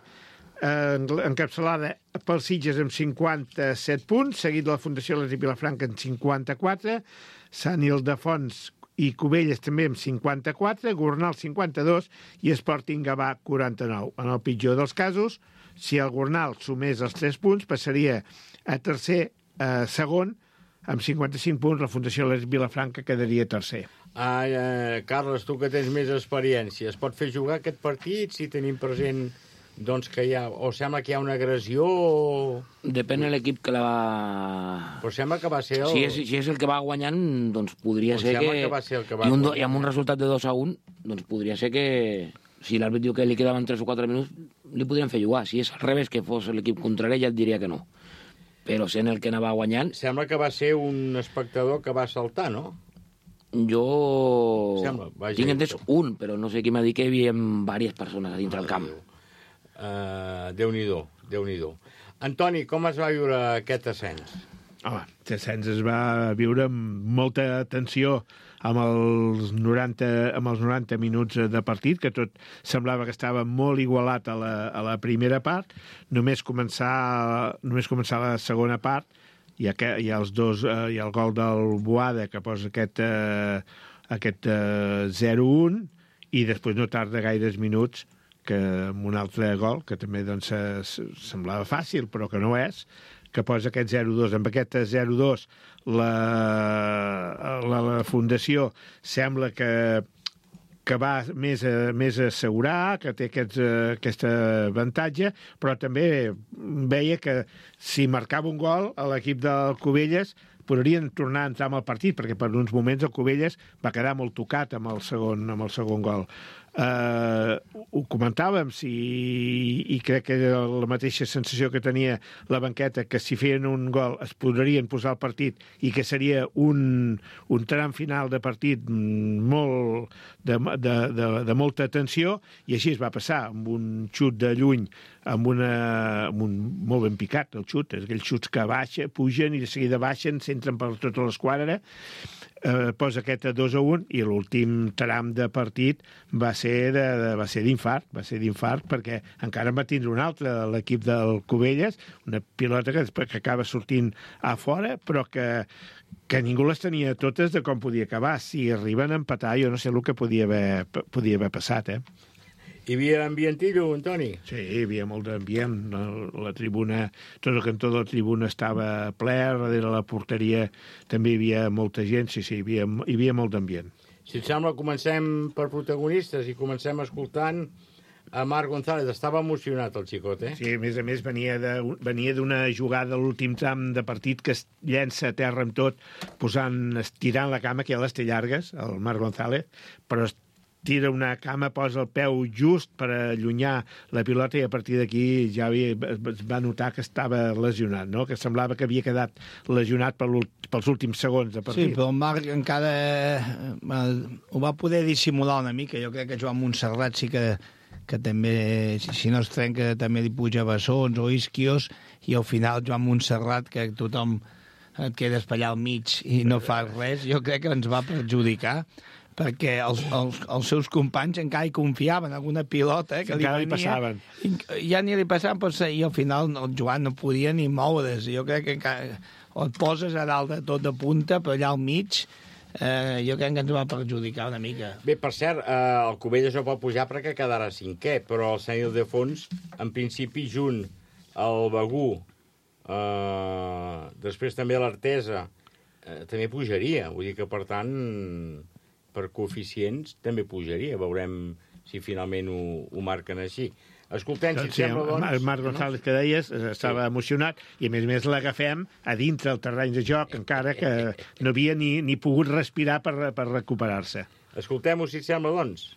encapçalada pel Sitges amb 57 punts, seguit de la Fundació Atlètic Vilafranca amb 54, Sant Ildefons i Cubelles també amb 54, Gornal 52 i Sporting Gavà 49. En el pitjor dels casos, si el Gornal sumés els 3 punts, passaria a segon amb 55 punts, la Fundació Atlètic Vilafranca quedaria tercer. Carles, tu que tens més experiència, es pot fer jugar aquest partit si tenim present... Doncs que hi ha... O sembla que hi ha una agressió o... Depèn de l'equip que la va... Però sembla que va ser el... Si és el que va guanyant, doncs podria ser que... Sembla que va ser el que va... I amb un resultat de 2-1, doncs podria ser que... Si l'àrbit diu que li quedaven 3 o 4 minuts, li podrien fer jugar. Si és al revés, que fos l'equip contrari, ja et diria que no. Però sent el que anava guanyant... Sembla que va ser un espectador que va saltar, no? Jo... Tinc entès un, però no sé qui m'ha dit que hi havia diverses persones a dintre del camp. Déu-n'hi-do. Antoni, com es va viure aquest ascens? Aquest ascens es va viure amb molta tensió amb els 90 minuts de partit, que tot semblava que estava molt igualat a la primera part. Només començar la segona part hi ha els dos, hi ha el gol del Boada que posa aquest 0-1 i després no tarda gaires minuts que amb un altre gol, que també doncs, semblava fàcil, però que no és, que posa aquest 0-2. Amb aquest 0-2 la Fundació sembla que que va més a assegurar, que té aquest avantatge, però també veia que si marcava un gol a l'equip del Cubelles podrien tornar a entrar en el partit, perquè per uns moments el Cubelles va quedar molt tocat amb el segon gol. Ho comentàvem i crec que era la mateixa sensació que tenia la banqueta, que si feien un gol es podrien posar al partit i que seria un tram final de partit molt de molta tensió, i així es va passar, amb un xut de lluny, amb un molt ben picat el xut, aquells xuts que pugen i de seguida baixen, s'entren per tota l'esquadra, posa aquest 2-1 i l'últim tram de partit va ser d'infart, perquè encara en va tindre un altre l'equip del Cubelles, una pilota que acaba sortint a fora, però que ningú les tenia totes de com podia acabar. Si arriben a empatar, jo no sé el que podia haver passat, Hi havia ambientillo, Antoni? Sí, hi havia molt d'ambient. La tribuna, tot el cantó de la tribuna estava ple, darrere la porteria també hi havia molta gent, sí, hi havia molt d'ambient. Si et sembla, comencem per protagonistes i comencem escoltant a Marc González. Estava emocionat el xicot, Sí, a més venia d'una jugada a l'últim tram de partit que es llença a terra amb tot, estirant la cama, que ja les té llargues, el Marc González, però tira una cama, posa el peu just per allunyar la pilota i a partir d'aquí ja es va notar que estava lesionat, no? Que semblava que havia quedat lesionat pels últims segons de partit. Sí, però el Marc encara ho va poder dissimular una mica. Jo crec que Joan Montserrat sí que també, si no es trenca, també li puja bessons o isquios, i al final Joan Montserrat, que tothom et quedes per allà al mig i no fas res, jo crec que ens va perjudicar, perquè els seus companys encara hi confiaven en alguna pilota que encara li passaven. Ja ni li passaven, i al final el Joan no podia ni moure's. Jo crec que encara o et poses a dalt de tot de punta, però allà al mig jo crec que ens va perjudicar una mica. Bé, per cert, el Cubelles no pot pujar perquè quedarà cinquè, però el Sant Ildefons, en principi, junt al Begú, després també l'Artesa, també pujaria. Vull dir que, per tant, per coeficients també pujaria. Veurem si finalment ho marquen així. Escoltem, si et sembla, doncs... El Marc González, que deies, estava emocionat, i a més l'agafem a dintre el terreny de joc, encara que no havia ni pogut respirar per recuperar-se. Escoltem-ho, si et sembla, doncs.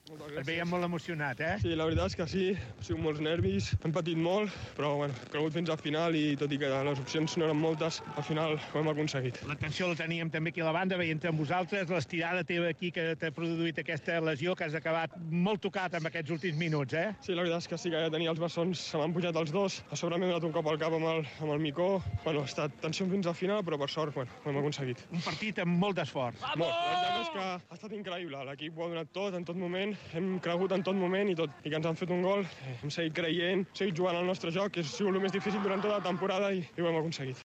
Et veiem molt emocionat, Sí, la veritat és que sí, ha sigut molts nervis, hem patit molt, però bueno, hem cregut fins al final i tot i que les opcions no eren moltes, al final ho hem aconseguit. L'atenció la teníem també aquí a la banda, veient amb vosaltres l'estirada teva aquí que t'ha produït aquesta lesió, que has acabat molt tocat en aquests últims minuts, Sí, la veritat és que sí, que ja tenia els bessons, se m'han pujat els dos, a sobre m'he donat un cop al cap amb el Micó, bueno, ha estat tensió fins al final, però per sort, bueno, ho hem aconseguit. Un partit amb molt d'esforç. Molt, la veritat és que ha estat increïble, l'equip ho ha donat tot, en tot moment, hem cregut en tot moment i que ens han fet un gol, hem seguit creient, hem seguit jugant al nostre joc, que ha sigut el més difícil durant tota la temporada i ho hem aconseguit.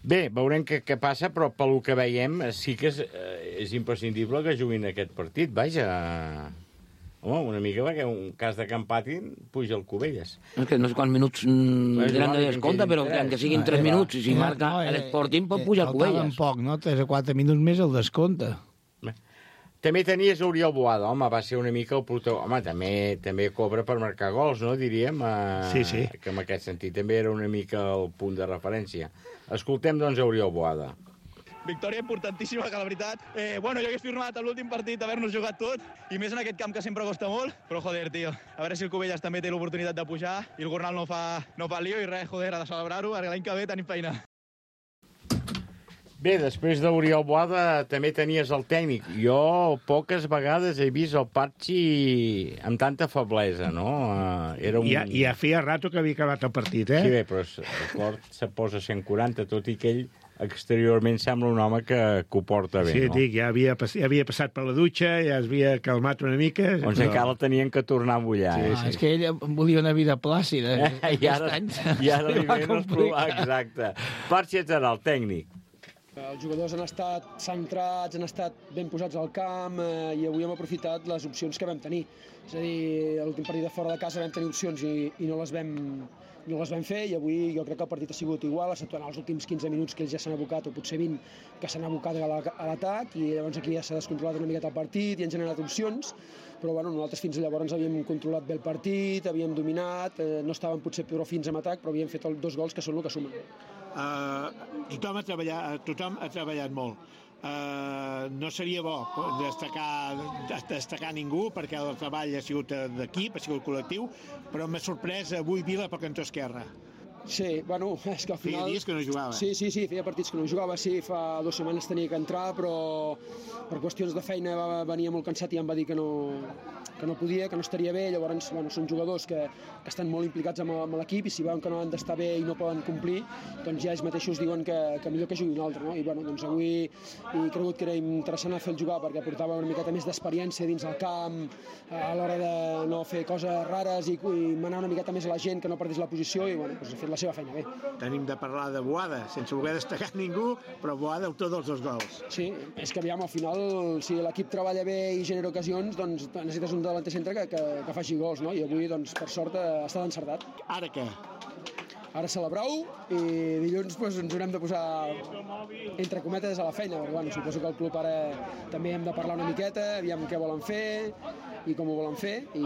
Bé, veurem què passa, però pel que veiem sí que és imprescindible que juguin aquest partit, vaja. Home, una mica perquè un cas de que empatin puja el Cubelles. És que no sé quants minuts tenen de descompte, però que siguin 3 minuts, i si marca l'Sporting pot pujar el Cubelles. Faltaven poc, no? 3 o 4 minuts més el descompte. També tenies Oriol Boada, home, va ser una mica el protagonista. Home, també cobra per marcar gols, no, diríem? Sí. Que en aquest sentit també era una mica el punt de referència. Escoltem, doncs, Oriol Boada. Victòria importantíssima, que la veritat... jo hagués firmat a l'últim partit haver-nos jugat tot, i més en aquest camp que sempre costa molt, però joder, tio, a veure si el Cubelles també té l'oportunitat de pujar i el Gornal no fa lío i res, joder, ha de celebrar-ho, perquè l'any que ve tenim feina. Bé, després d'Oriol Boada també tenies el tècnic. Jo poques vegades he vist el Patxi amb tanta feblesa, no? Ja feia rato que havia acabat el partit, Sí, bé, però el cor se posa 140, tot i que ell exteriorment sembla un home que ho porta bé, no? Sí, dic, ja havia passat per la dutxa, ja es havia calmat una mica... Doncs encara el tenien que tornar a mullar. Sí. És que ell volia una vida plàcida. I ara li ven els problemes. Exacte. Patxi serà el tècnic. Els jugadors han estat centrats, han estat ben posats al camp i avui hem aprofitat les opcions que vam tenir. És a dir, a l'últim partit de fora de casa vam tenir opcions i no les no les vam fer, i avui jo crec que el partit ha sigut igual, exceptuant els últims 15 minuts que ells ja s'han abocat, o potser 20, que s'han abocat a l'atac, i llavors aquí ja s'ha descontrolat una miqueta el partit i han generat opcions, però bueno, nosaltres fins llavors havíem controlat bé el partit, havíem dominat, no estàvem potser prou fins en atac, però havíem fet 2 gols que són el que sumen. Tothom ha treballat molt. No seria bo destacar ningú, perquè el treball ha sigut d'equip, ha sigut col·lectiu, però m'ha sorprès avui Vila pel cantó esquerre. Sí, bueno, és que al final... Feia dies que no jugava. Sí, feia partits que no jugava, sí, fa 2 setmanes tenia que entrar, però per qüestions de feina venia molt cansat i em va dir que no podia, que no estaria bé, llavors, bueno, són jugadors que estan molt implicats amb l'equip i si veuen que no han d'estar bé i no poden complir, doncs ja ells mateixos diuen que millor que jugui un altre, no? I bueno, doncs avui he cregut que era interessant fer-lo jugar perquè portava una miqueta més d'experiència dins el camp a l'hora de no fer coses rares i manar una miqueta més a la gent, que no perdés la posició i bueno, doncs ha fet la seva feina bé. Tenim de parlar de Boada, sense voler destacar ningú, però Boada, autor dels 2 gols. Sí, és que aviam, al final, si l'equip treballa bé i genera ocasions, doncs necessites un delanter centre que faci gols, no? I avui, doncs, per sort, ha estat encertat. Ara què? Ara celebrar-ho i dilluns doncs, ens haurem de posar entre cometes a la feina, perquè bueno, suposo que el club ara també hem de parlar una miqueta, aviam què volen fer i com ho volen fer i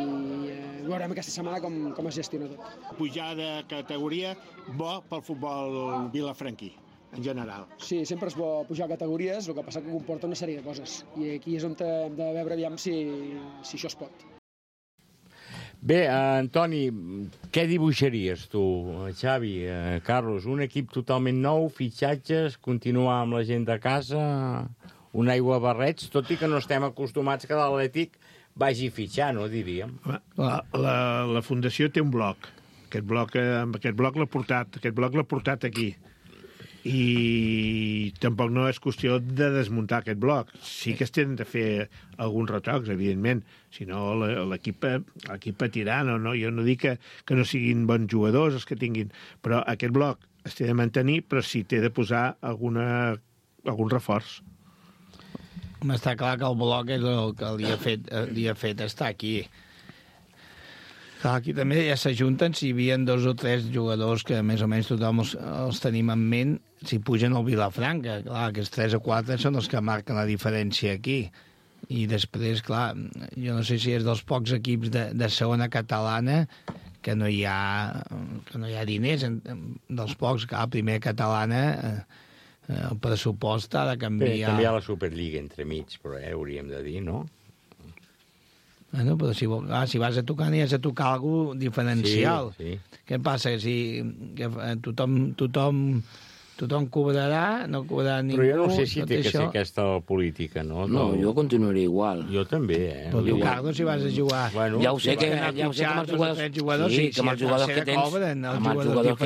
veurem aquesta setmana com es gestiona tot. Pujar de categoria, bo pel futbol vilafranquí, en general. Sí, sempre és bo pujar categories, el que passa que comporta una sèrie de coses i aquí és on hem de veure aviam si això es pot. Bé, Antoni, què dibuixaries tu, Xavi, Carlos? Un equip totalment nou, fitxatges, continuar amb la gent de casa, un aigua barrets, tot i que no estem acostumats que l'Atlètic vagi fitxar, no diríem? La Fundació té un bloc. Aquest bloc l'ha portat aquí. I tampoc no és qüestió de desmuntar aquest bloc. Sí que es tenen de fer alguns retocs, evidentment, si no l'equip patirà. No, jo no dic que no siguin bons jugadors els que tinguin, però aquest bloc es té de mantenir, però sí té de posar algun reforç. Està clar que el bloc és el que li ha fet estar aquí. Clar, aquí també ja s'ajunten, si hi havia 2 o 3 jugadors que més o menys tothom els tenim en ment, si pugen al Vilafranca. Clar, aquests 3 o 4 són els que marquen la diferència aquí. I després, clar, jo no sé si és dels pocs equips de segona catalana que no hi ha diners, dels pocs, clar, primera catalana el pressupost ha de canviar. Bé, també hi ha la Superliga entremig, però hauríem de dir, no? Bueno, però si vas a tocar, n'hi has de tocar alguna cosa diferencial. Sí. Què passa? Que tothom cobrarà, no cobrarà ningú... Però jo no sé si té que ser aquesta política, no? No, jo continuaré igual. Jo també, Però tu, Carlos, si vas a jugar... Bueno, ja ho sé que amb els jugadors... Sí, que amb els jugadors que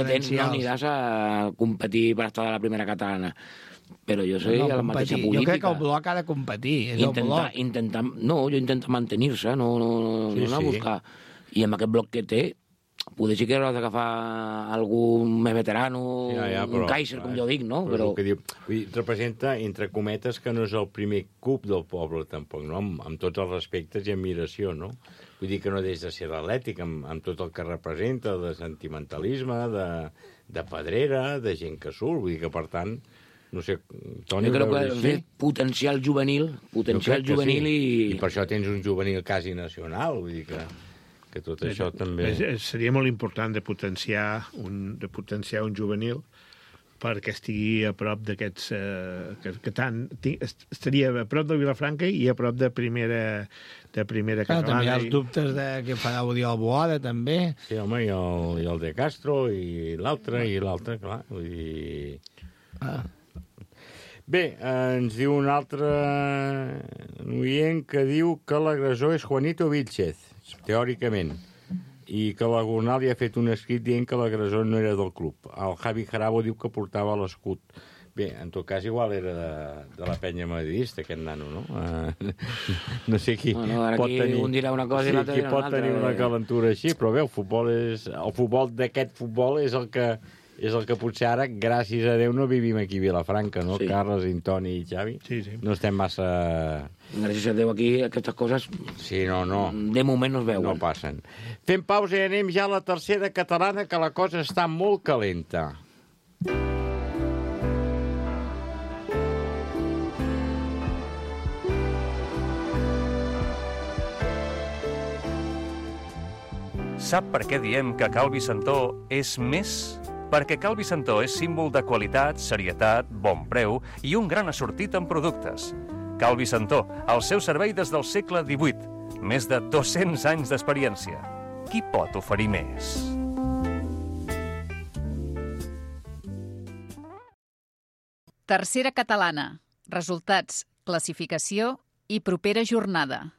tens no aniràs a competir per estar a la primera catalana. Però jo soy a la mateixa política. Jo crec que el bloc ha de competir, és el bloc. Jo intento mantenir-se, no anar a buscar. I amb aquest bloc que té, potser sí que hauràs d'agafar algun més veterano, un Kaiser, com jo dic, no? Però... representa, entre cometes, que no és el primer club del poble, tampoc, no? Amb tots els respectes i admiració, no? Vull dir que no deix de ser l'Atlètic, amb tot el que representa, de sentimentalisme, de pedrera, de gent que surt, vull dir que, per tant... No sé, Toni... Jo crec que hem fet potencial juvenil i per això tens un juvenil quasi nacional, vull dir que tot això també... Seria molt important de potenciar un juvenil perquè estigui a prop d'aquests... estaria a prop de Vilafranca i a prop de primera catalana. També hi ha els dubtes de què farà Oriol Boada, també. Sí, home, i el de Castro, i l'altre, clar. Vull dir... Bé, ens diu un altre oient que diu que l'agressor és Juanito Vilchez, teòricament, i que la Gornal ja ha fet un escrit dient que l'agressor no era del club. El Javi Jarabo diu que portava l'escut. Bé, en tot cas, igual era de la penya madridista, aquest nano, no? No sé qui pot tenir... Un dirà una cosa i l'altre dirà una altra. Qui pot tenir una calentura així, però bé, el futbol d'aquest futbol és el que És el que potser ara, gràcies a Déu, no vivim aquí a Vilafranca, no? Sí. Carles, Antoni i Xavi. Sí, sí. No estem massa... Gràcies a Déu aquí, aquestes coses... Sí, no. De moment no es veuen. No passen. Fem pausa i anem ja a la tercera catalana, que la cosa està molt calenta. Sap per què diem que Cal Vicentó és més? Perquè Cal Vicentó és símbol de qualitat, serietat, bon preu i un gran assortit en productes. Cal Vicentó, al seu servei des del segle XVIII. Més de 200 anys d'experiència. Qui pot oferir més? Tercera catalana. Resultats, classificació i propera jornada.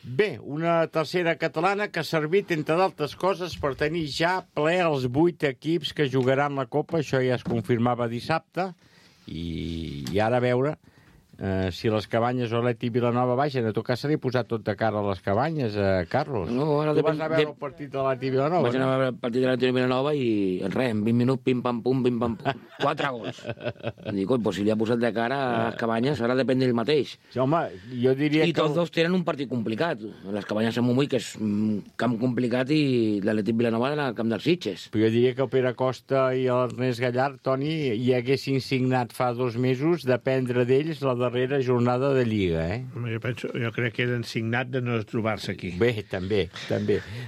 Bé, una tercera catalana que ha servit, entre d'altres coses, per tenir ja ple els 8 equips que jugaran la Copa. Això ja es confirmava dissabte. I ara a veure si les Cabanyes o l'Atlètic Vilanova baixen. A tot cas se li ha posat tot de cara a les Cabanyes, Carlos. No, ara tu vas anar a veure el partit de l'Atlètic Vilanova? Vaig anar a veure el partit de l'Atlètic Vilanova i res, en 20 minuts, pim-pam-pum, 4 gols. Dic, pues si li ha posat de cara a les Cabanyes, ara depèn d'ell mateix. Sí, home, jo diria que... I tots dos tenen un partit complicat. Les Cabanyes de Montbui, que és un camp complicat, i l'Atlètic Vilanova en el camp dels Sitges. Però jo diria que el Pere Costa i l'Ernest Gallard, Toni, hi haguessin signat fa 2 mesos dependre d'ells la darrera jornada de Lliga, Jo crec que eren signat de no trobar-se aquí. Bé, també.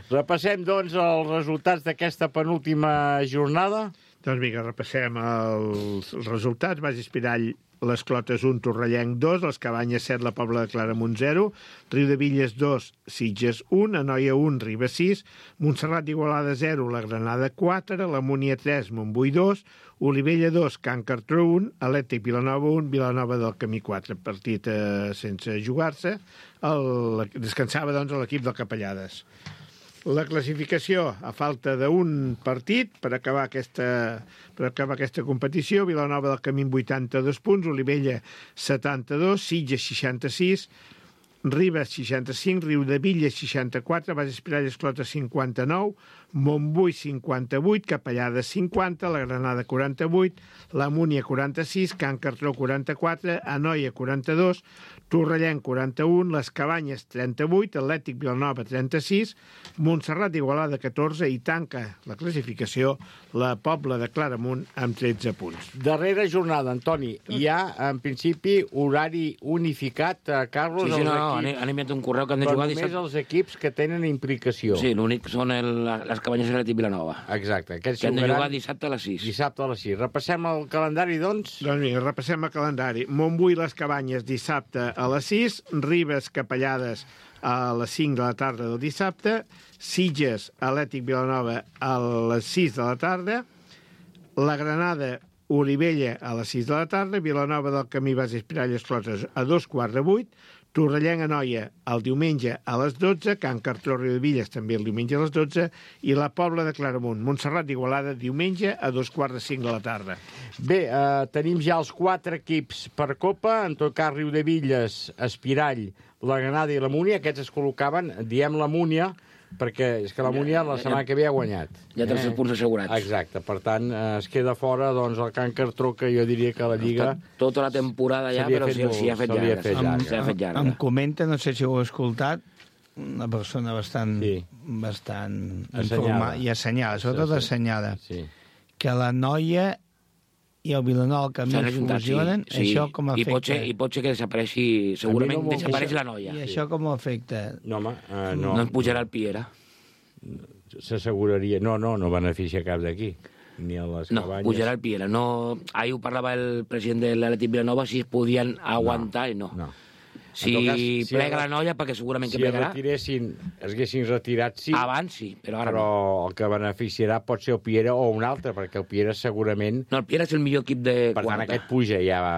Repassem, doncs, els resultats d'aquesta penúltima jornada. Doncs vinga, repassem els resultats. Baix Espirall, les Clotes 1, Torrellenc 2, les Cabanyes 7, la Pobla de Claramunt 0, Riudevilles 2, Sitges 1, Anoia 1, Ribes 6, Montserrat d'Igualada 0, la Granada 4, la Múnia 3, Montbui 2, Olivella 2, Can Cartró 1, Atlètic Vilanova 1, Vilanova del Camí 4, partit sense jugar-se. Descansava, doncs, l'equip del Capellades. La classificació, a falta d'un partit per acabar aquesta competició: Vilanova del Camí 82 punts, Olivella 72, Sitges 66, Ribes 65, Riudevilles 64, Baix Espirall Esclota 59, Montbui 58, Capellades 50, la Granada 48, la Múnia 46, Can Cartró 44, Anoia 42, Torrellenc 41, les Cabanyes 38, Atlètic Vilanova 36, Montserrat d'Igualada 14 i tanca la classificació la Pobla de Claramunt amb 13 punts. Darrera jornada, Antoni. Hi ha, en principi, horari unificat, Carlos? Sí, han enviat un correu que han de jugar dissabte. Però només els equips que tenen implicació. Sí, l'únic són les Cabanyes de l'Atlètic Vilanova. Exacte. Que han de jugar dissabte a les 6. Dissabte a les 6. Repassem el calendari, doncs? Doncs vinga, repassem el calendari. Montbui, les Cabanyes, dissabte a les 6, Ribes, Capellades a les 5 de la tarda del dissabte, Sitges, Atlètic Vilanova a les 6 de la tarda, la Granada, Olivella a les 6 de la tarda, Vilanova del Camí, Baix Espirall Esclotes a 2:15, Torrellenc Anoia el diumenge a les 12, Can Cartró Riudevilles també el diumenge a les 12 i la Pobla de Claramunt, Montserrat d'Igualada diumenge a 2:45 de la tarda. Bé, tenim ja els 4 equips per Copa, en tot cas Riudevilles, Espirall, la Granada i la Múnia. Aquests es col·locaven, diem la Múnia, perquè és que la Múnia la setmana que ve ha guanyat. Ja té els punts assegurats. Exacte, per tant, es queda fora doncs, el Can Cartró, que jo diria que la Lliga... Tota la temporada ja, però s'hi ha fet llarga. Em comenta, no sé si ho heu escoltat, una persona bastant informada i assenyada, sobretot assenyada, que la Noia i el Vilanova Camí es fusionen, això com afecta? I pot ser que desapareixi, segurament desapareix la Noia. I això com afecta? No, home, no. No ens pujarà el Piera. S'asseguraria. No beneficia cap d'aquí. Ni a les Cabanyes. No, pujarà el Piera. Ahir ho parlava el president de l'Atlètic Vilanova, si es podien aguantar i no. Si plega la Noia, perquè segurament que plegarà. Si es haguessin retirat, sí. Abans sí, però ara no. Però el que beneficiarà pot ser el Piera o un altre, perquè el Piera segurament... No, el Piera és el millor equip de quarta. Per tant, aquest puja ja va...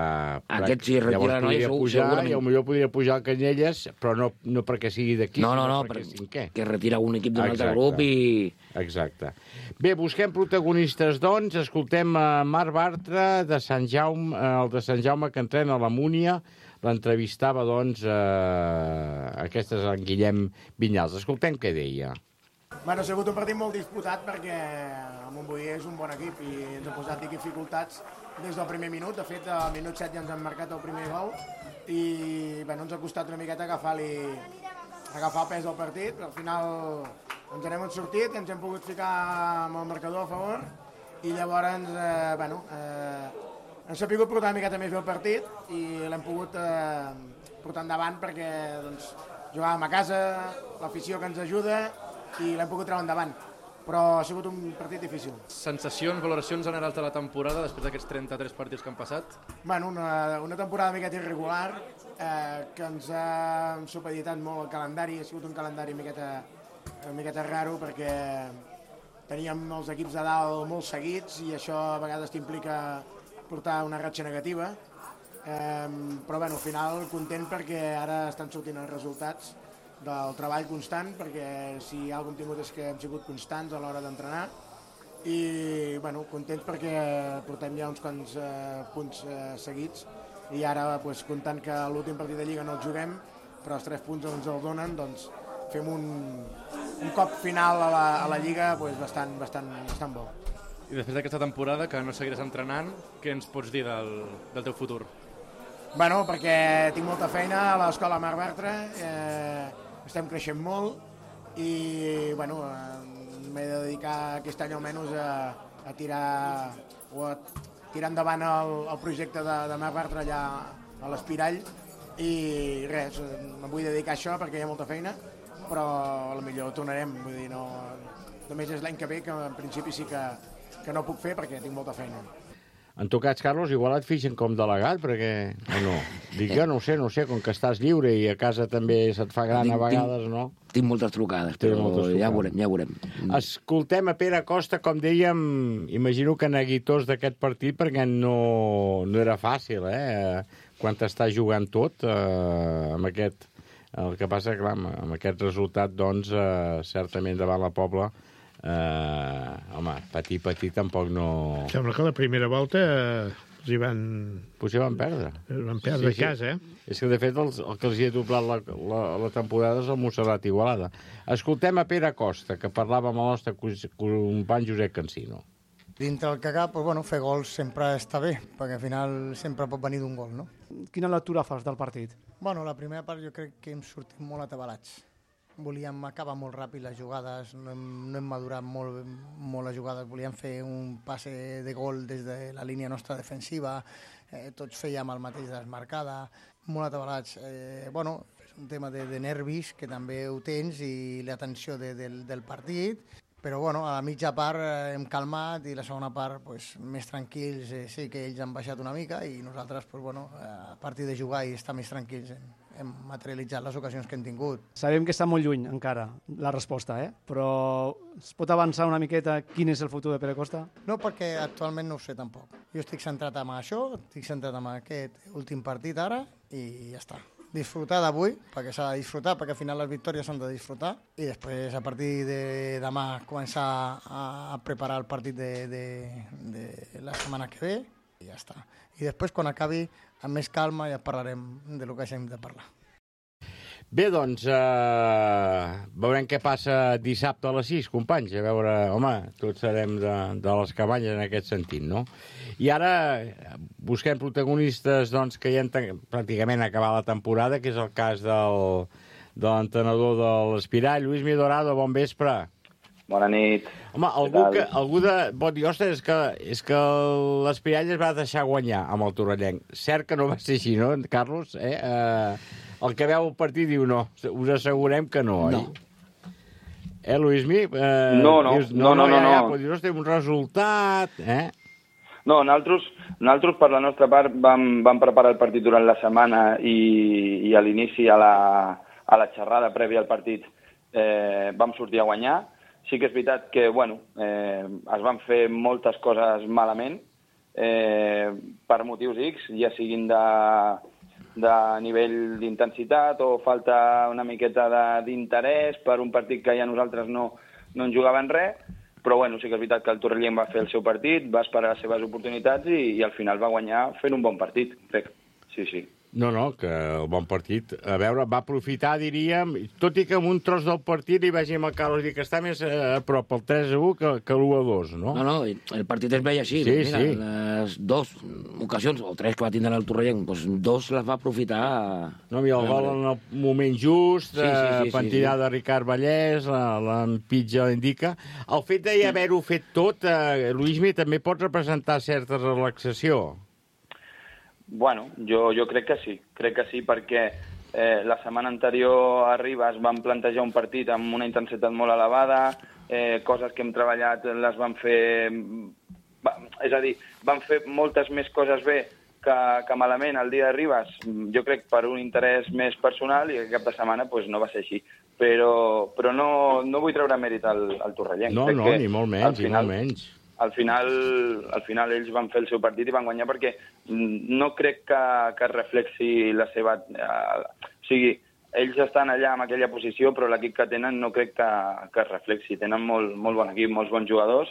Aquest si retira la Noia, segurament. I potser podria pujar el Canyelles, però no perquè sigui d'aquí, sinó perquè cinquè. Que retira un equip d'un altre grup i... Exacte. Bé, busquem protagonistes, doncs. Escoltem Marc Bartra, de Sant Jaume, el de Sant Jaume, que entrena a la Múnia. L'entrevistava, doncs, aquesta és en Guillem Vinyals. Escoltem què deia. Bueno, ha sigut un partit molt disputat perquè el Montbui és un bon equip i ens ha posat dificultats des del primer minut. De fet, al minut 7 ja ens han marcat el primer gol i bueno, ens ha costat una miqueta agafar el pes del partit, però al final ens n'hem sortit, ens hem pogut ficar amb el marcador a favor i llavors ens ha pogut portar una miqueta més bé el partit i l'hem pogut portar endavant perquè doncs, jugàvem a casa, l'afició que ens ajuda i l'hem pogut treure endavant, però ha sigut un partit difícil. Sensacions, valoracions generals de la temporada després d'aquests 33 partits que han passat? Bueno, una temporada una miqueta irregular que ens ha supeditat molt el calendari, ha sigut un calendari una miqueta raro perquè teníem els equips de dalt molt seguits i això a vegades t'implica portar una ratxa negativa, però bueno, al final content perquè ara estan sortint els resultats del treball constant, perquè si alguna cosa hem tingut és que hem sigut constants a l'hora d'entrenar i bueno, contents perquè portem ja uns quants punts seguits i ara pues, comptant que l'últim partit de Lliga no el juguem, però els 3 punts ens els donen, doncs fem un cop final a la Lliga pues, bastant bo. I després d'aquesta temporada, que no seguiràs entrenant, què ens pots dir del teu futur? Bueno, perquè tinc molta feina a l'escola Marc Bartra, estem creixent molt i bueno, m'he de dedicar aquest any almenys a tirar endavant el projecte de Marc Bartra allà a l'Espirall i res, em vull dedicar a això perquè hi ha molta feina, però potser tornarem, vull dir, no, només és l'any que ve que en principi sí que no puc fer perquè tinc molta feina. En tot cas, Carlos, igual et fixen com delegat, perquè... O no? Dic jo, no sé, com que estàs lliure i a casa també se't fa gran a vegades, no? Tinc moltes trucades, però ja veurem. Escoltem a Pere Costa, com dèiem, imagino que neguitós d'aquest partit, perquè no era fàcil, quan t'estàs jugant tot, amb aquest... El que passa, clar, amb aquest resultat, doncs, certament davant la Pobla, home, patir tampoc no... Sembla que la primera volta els hi van... Potser van perdre. Van perdre a casa, És que, de fet, el que els hi ha doblat la temporada és el Montserrat Igualada. Escoltem a Pere Costa, que parlava amb el nostre company Josep Cancino. Dintre el que cap, doncs, bueno, fer gols sempre està bé, perquè al final sempre pot venir d'un gol, no? Quina lectura fas del partit? Bueno, la primera part jo crec que hem sortit molt atabalats. Volíem acabar molt ràpid les jugades, no hem madurat molt les jugades, volíem fer un passe de gol des de la línia nostra defensiva, tots fèiem el mateix desmarcada, molt atabalats. Bueno, és un tema de nervis, que també ho tens, i la tensió del partit, però bueno, a la mitja part hem calmat i la segona part pues, més tranquils, sí que ells han baixat una mica i nosaltres pues, bueno, a partir de jugar i estar més tranquils hem materialitzat les ocasions que hem tingut. Sabem que està molt lluny encara la resposta, però es pot avançar una miqueta quin és el futur de Pere Costa? No, perquè actualment no ho sé tampoc. Jo estic centrat en això, estic centrat en aquest últim partit ara i ja està. Disfrutar d'avui, perquè s'ha de disfrutar, perquè al final les victòries s'han de disfrutar, i després a partir de demà començar a preparar el partit de la setmana que ve i ja està. I després quan acabi amb més calma ja parlarem de lo que hagin de parlar. Bé, doncs, veurem què passa dissabte a les 6, companys. A veure, home, tots serem de les cabanyes en aquest sentit, no? I ara busquem protagonistes doncs, que ja han pràcticament acabat la temporada, que és el cas de l'entrenador de l'Espirall. Lluís Midorado, bon vespre. Bona nit. Home, algú pot dir, ostres, és que l'Espirall es va deixar guanyar amb el Torrellenc. Cert que no va ser així, no, Carlos? El que veu el partit diu no. Us assegurem que no, oi? No. Luismi? No. Però dius, ostres, un resultat, No, nosaltres per la nostra part vam preparar el partit durant la setmana i a l'inici, a la xerrada prèvia al partit, vam sortir a guanyar. Sí que és veritat que, es van fer moltes coses malament, per motius X, ja siguin de nivell d'intensitat o falta una miqueta d'interès per un partit que ja nosaltres no en jugàvem res, però sí que és veritat que el Torrellenc va fer el seu partit, va esperar les seves oportunitats i al final va guanyar fent un bon partit, crec. Sí. No, que el bon partit, a veure, va aprofitar, diríem, tot i que amb un tros del partit li vegem el Carlos dir que està més a prop el 3-1 que l'1-2, no? No, el partit es veia així. Sí, mira, sí. Les dues ocasions, o tres que va tindre el Torrellent, doncs dos les va aprofitar. No, i el gol en el moment just, pentinada de Ricard Vallès, l'empitja l'indica. El fet d'haver-ho fet tot, Luismi, també pot representar certa relaxació. Bueno, jo crec que sí, perquè la setmana anterior a Ribes vam plantejar un partit amb una intensitat molt elevada, coses que hem treballat les vam fer... És a dir, vam fer moltes més coses bé que malament el dia de Ribes, jo crec per un interès més personal, i aquest cap de setmana no va ser així. Però no vull treure mèrit al Torrellent. No, ni molt menys, Al final ells van fer el seu partit i van guanyar perquè no crec que reflexi la seva... O sigui, ells estan allà en aquella posició, però l'equip que tenen no crec que reflexi. Tenen molt bon equip, molts bons jugadors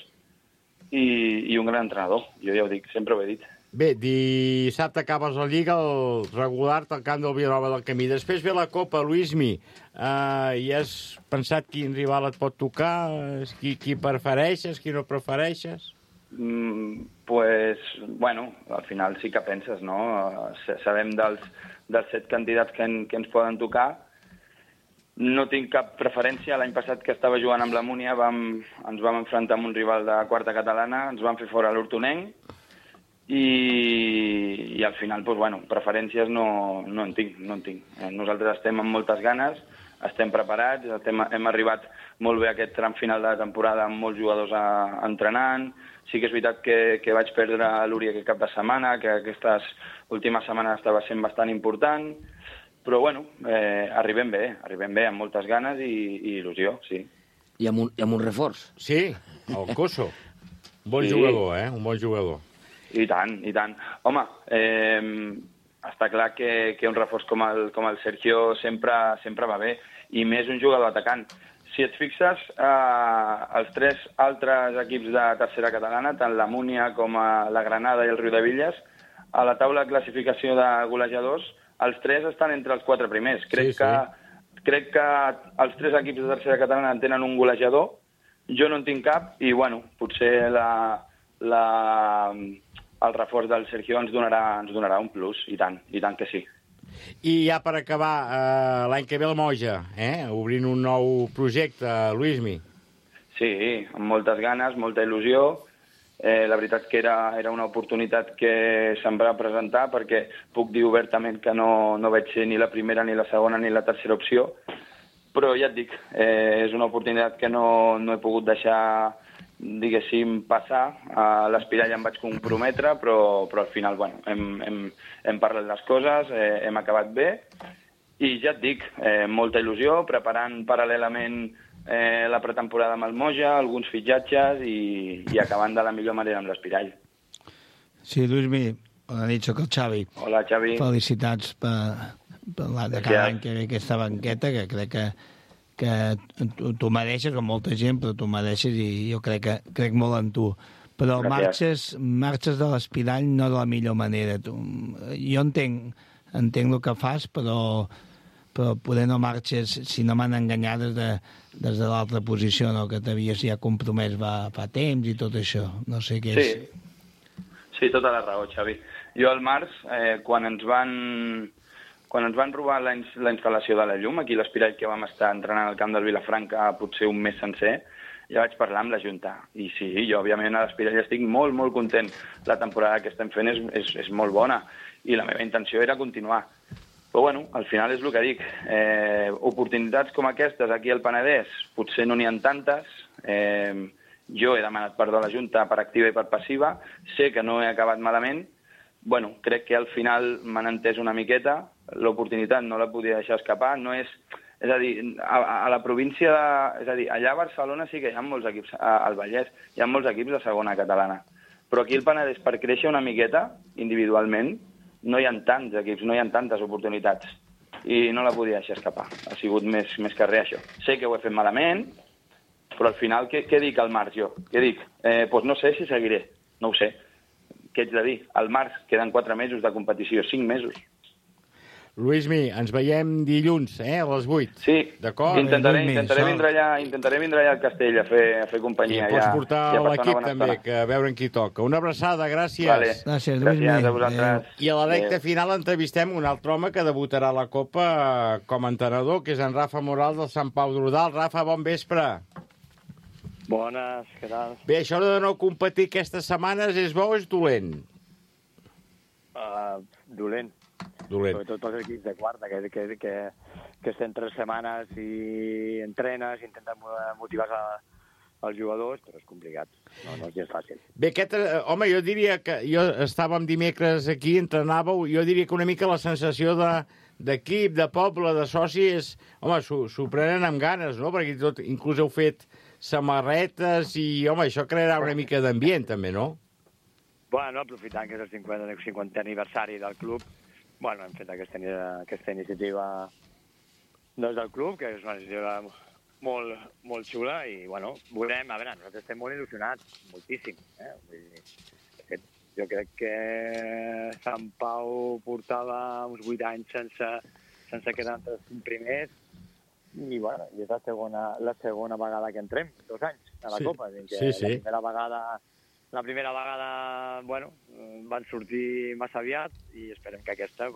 i un gran entrenador. Jo ja ho dic, sempre ho he dit. Bé, dissabte acabes la Lliga, el regular al camp del Vilanova del Camí. Després ve la Copa, Luismi. I has pensat quin rival et pot tocar? Qui prefereixes, qui no prefereixes? Bueno, al final sí que penses, no? Sabem dels 7 candidats que ens poden tocar. No tinc cap preferència. L'any passat que estava jugant amb la Múnia ens vam enfrontar amb un rival de quarta catalana, ens vam fer fora l'Hortonenc, i al final, preferències no en tinc. Nosaltres estem amb moltes ganes, estem preparats, hem arribat molt bé a aquest tram final de la temporada amb molts jugadors entrenant. Sí que és veritat que vaig perdre l'Uri aquest cap de setmana, que aquestes últimes setmanes estava sent bastant important, però arribem bé, amb moltes ganes i il·lusió, sí. I amb un reforç. Sí, el Coso. Bon jugador, un bon jugador. I tant. Home, està clar que un reforç com el Sergio sempre va bé, i més un jugador atacant. Si et fixes, els 3 altres equips de tercera catalana, tant la Múnia com la Granada i el Riudevilles, a la taula de classificació de golejadors, els 3 estan entre els 4 primers. Crec que els 3 equips de tercera catalana tenen un golejador, jo no en tinc cap, i potser el reforç del Sergio ens donarà un plus, i tant que sí. I ja per acabar, l'any que ve el Moja, obrint un nou projecte, Luismi. Sí, amb moltes ganes, molta il·lusió. La veritat que era una oportunitat que se'm va presentar, perquè puc dir obertament que no vaig ser ni la primera, ni la segona, ni la tercera opció, però ja et dic, és una oportunitat que no he pogut deixar, diguéssim, passar. A l'Espirall em vaig comprometre, però al final, hem parlat les coses, hem acabat bé, i ja et dic, molta il·lusió, preparant paral·lelament la pretemporada amb el Moja, alguns fitxatges i acabant de la millor manera amb l'Espirall. Sí, Luismi, bona nit, soc el Xavi. Hola, Xavi. Felicitats de cada any que ve aquesta banqueta, que crec que tu mereixes, com molta gent, però tu mereixes i jo crec molt en tu. Però marxes de l'Espirall no de la millor manera. Jo entenc el que fas, però poder no marxes, si no m'han enganyat, des de l'altra posició, no? Que t'havies ja compromès fa temps i tot això. No sé què és. Sí, tota la raó, Xavi. Jo al març, quan ens van robar la instal·lació de la llum, aquí a l'Espirall, que vam estar entrenant al camp del Vilafranca potser un mes sencer, ja vaig parlar amb la Junta. I sí, jo òbviament a l'Espirall estic molt, molt content. La temporada que estem fent és molt bona i la meva intenció era continuar. Però al final és el que dic. Oportunitats com aquestes aquí al Penedès potser no n'hi ha tantes. Jo he demanat perdó a la Junta per activa i per passiva. Sé que no he acabat malament. Crec que al final m'han entès una miqueta. L'oportunitat no la podia deixar escapar. És a dir, a la província, allà a Barcelona sí que hi ha molts equips, al Vallès, hi ha molts equips de segona catalana. Però aquí al Penedès, per créixer una miqueta, individualment, no hi ha tants equips, no hi ha tantes oportunitats. I no la podia deixar escapar. Ha sigut més que res, això. Sé que ho he fet malament, però al final, què dic al març, jo? Què dic? No sé si seguiré. No ho sé. Què haig de dir? Al març queden 4 mesos de competició, 5 mesos. Luismi, ens veiem dilluns, a les 8. Sí, d'acord? intentaré vindre allà al castell a fer companyia. I pots portar l'equip també, que a veure en qui toca. Una abraçada, gràcies. Vale. Gràcies a vosaltres. I a la recta final entrevistem un altre home que debutarà a la Copa com a entrenador, que és en Rafa Moral del Sant Pau d'Ordal. Rafa, bon vespre. Bones, què tal? Bé, això de no competir aquestes setmanes és bo o és dolent? Dolent. Sobretot pels equips de quarta, que estem 3 setmanes i entrenes, intenten motivar els jugadors, però és complicat. No és gens fàcil. Bé, home, jo diria que... Estàvem dimecres aquí, entrenàveu, jo diria que una mica la sensació d'equip, de poble, de soci és... Home, s'ho prenen amb ganes, no? Perquè inclús heu fet samarretes i, home, això crearà una mica d'ambient, també, no? Bueno, aprofitant que és el 50è aniversari del club, bueno, hem fet aquesta iniciativa del club, que és una iniciativa molt xula, i, bueno, veurem, a veure, nosaltres estem molt il·lusionats, moltíssim, Vull dir, jo crec que Sant Pau portava uns 8 anys sense quedar entre els 5 primers, i, bueno, és la segona vegada que entrem, 2 anys a la Copa. Sí. La primera vegada, bueno, van sortir massa aviat i esperem que aquesta,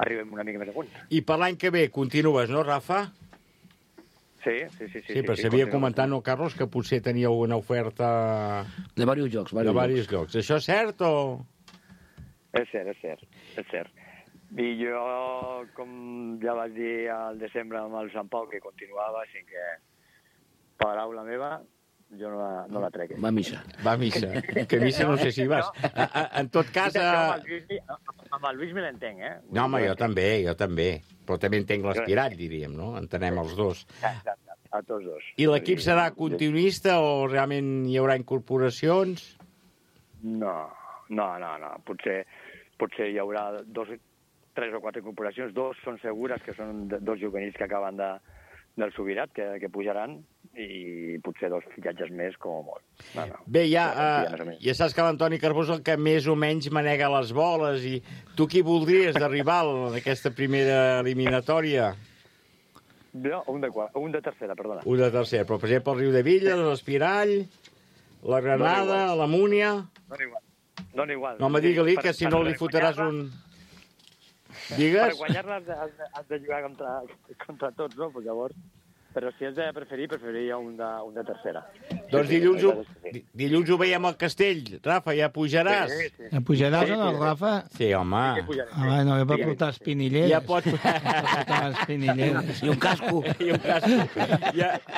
arribem una mica més amunt. I per l'any que ve continues, no, Rafa? Sí. Sí, però s'havia comentat, no, Carlos, que potser teníeu una oferta... De diversos llocs. De diversos llocs. Això és cert o...? És cert. I jo, com ja vaig dir al desembre amb el Sant Pau, que continuava, així que paraula meva, jo no la trec. Va a missa. Que a missa no sé si vas. En tot cas... Amb el Lluís me l'entenc, No, home, jo també. Però també entenc l'aspirat, diríem, no? Entenem els dos. A tots dos. I l'equip serà continuista o realment hi haurà incorporacions? No. Potser hi haurà 3 o 4 incorporacions. 2 són segures, que són 2 juvenils que acaben del Subirat, que pujaran, i potser 2 fitxatges més, com a molt. Bé, ja saps que l'Antoni Carbó és el que més o menys manega les boles, i tu qui voldries d'arribar en aquesta primera eliminatòria? Jo, un de tercera, perdona. Un de tercera, però per exemple el Riudebitlles, l'Espirall, la Granada, la Múnia... Dona igual. No, home, digue-li que si no li fotràs un... Digues? Per guanyar-la has de jugar contra tots, no? Llavors... Però si has de preferiria un de tercera. Doncs dilluns ho veiem al Castell. Rafa, ja pujaràs? Sí. Ja pujaràs o no, Rafa? Sí, home. No, jo per portar espinilleres. Ja pots... I un casco.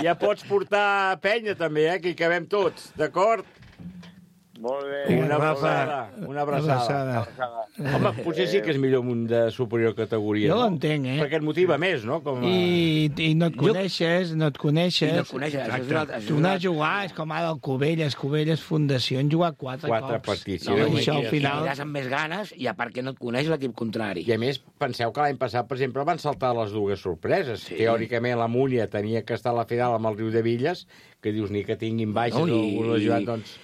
Ja pots portar penya, també, que hi cabem tots, d'acord? Molt bé. Una abraçada. Home, potser sí que és millor un de superior categoria. Jo l'entenc, Perquè et motiva més, no? I no et coneixes. Tu anar a jugar és com ara el Cubelles Fundació, han jugat 4 partits. I això al final... I amb més ganes, i a part que no et coneix l'equip contrari. I a més, penseu que l'any passat, per exemple, van saltar les 2 sorpreses. Teòricament, la Múnia tenia que estar a la final amb el Riudebitlles, que dius ni que tinguin baixes o algú ajudat, doncs...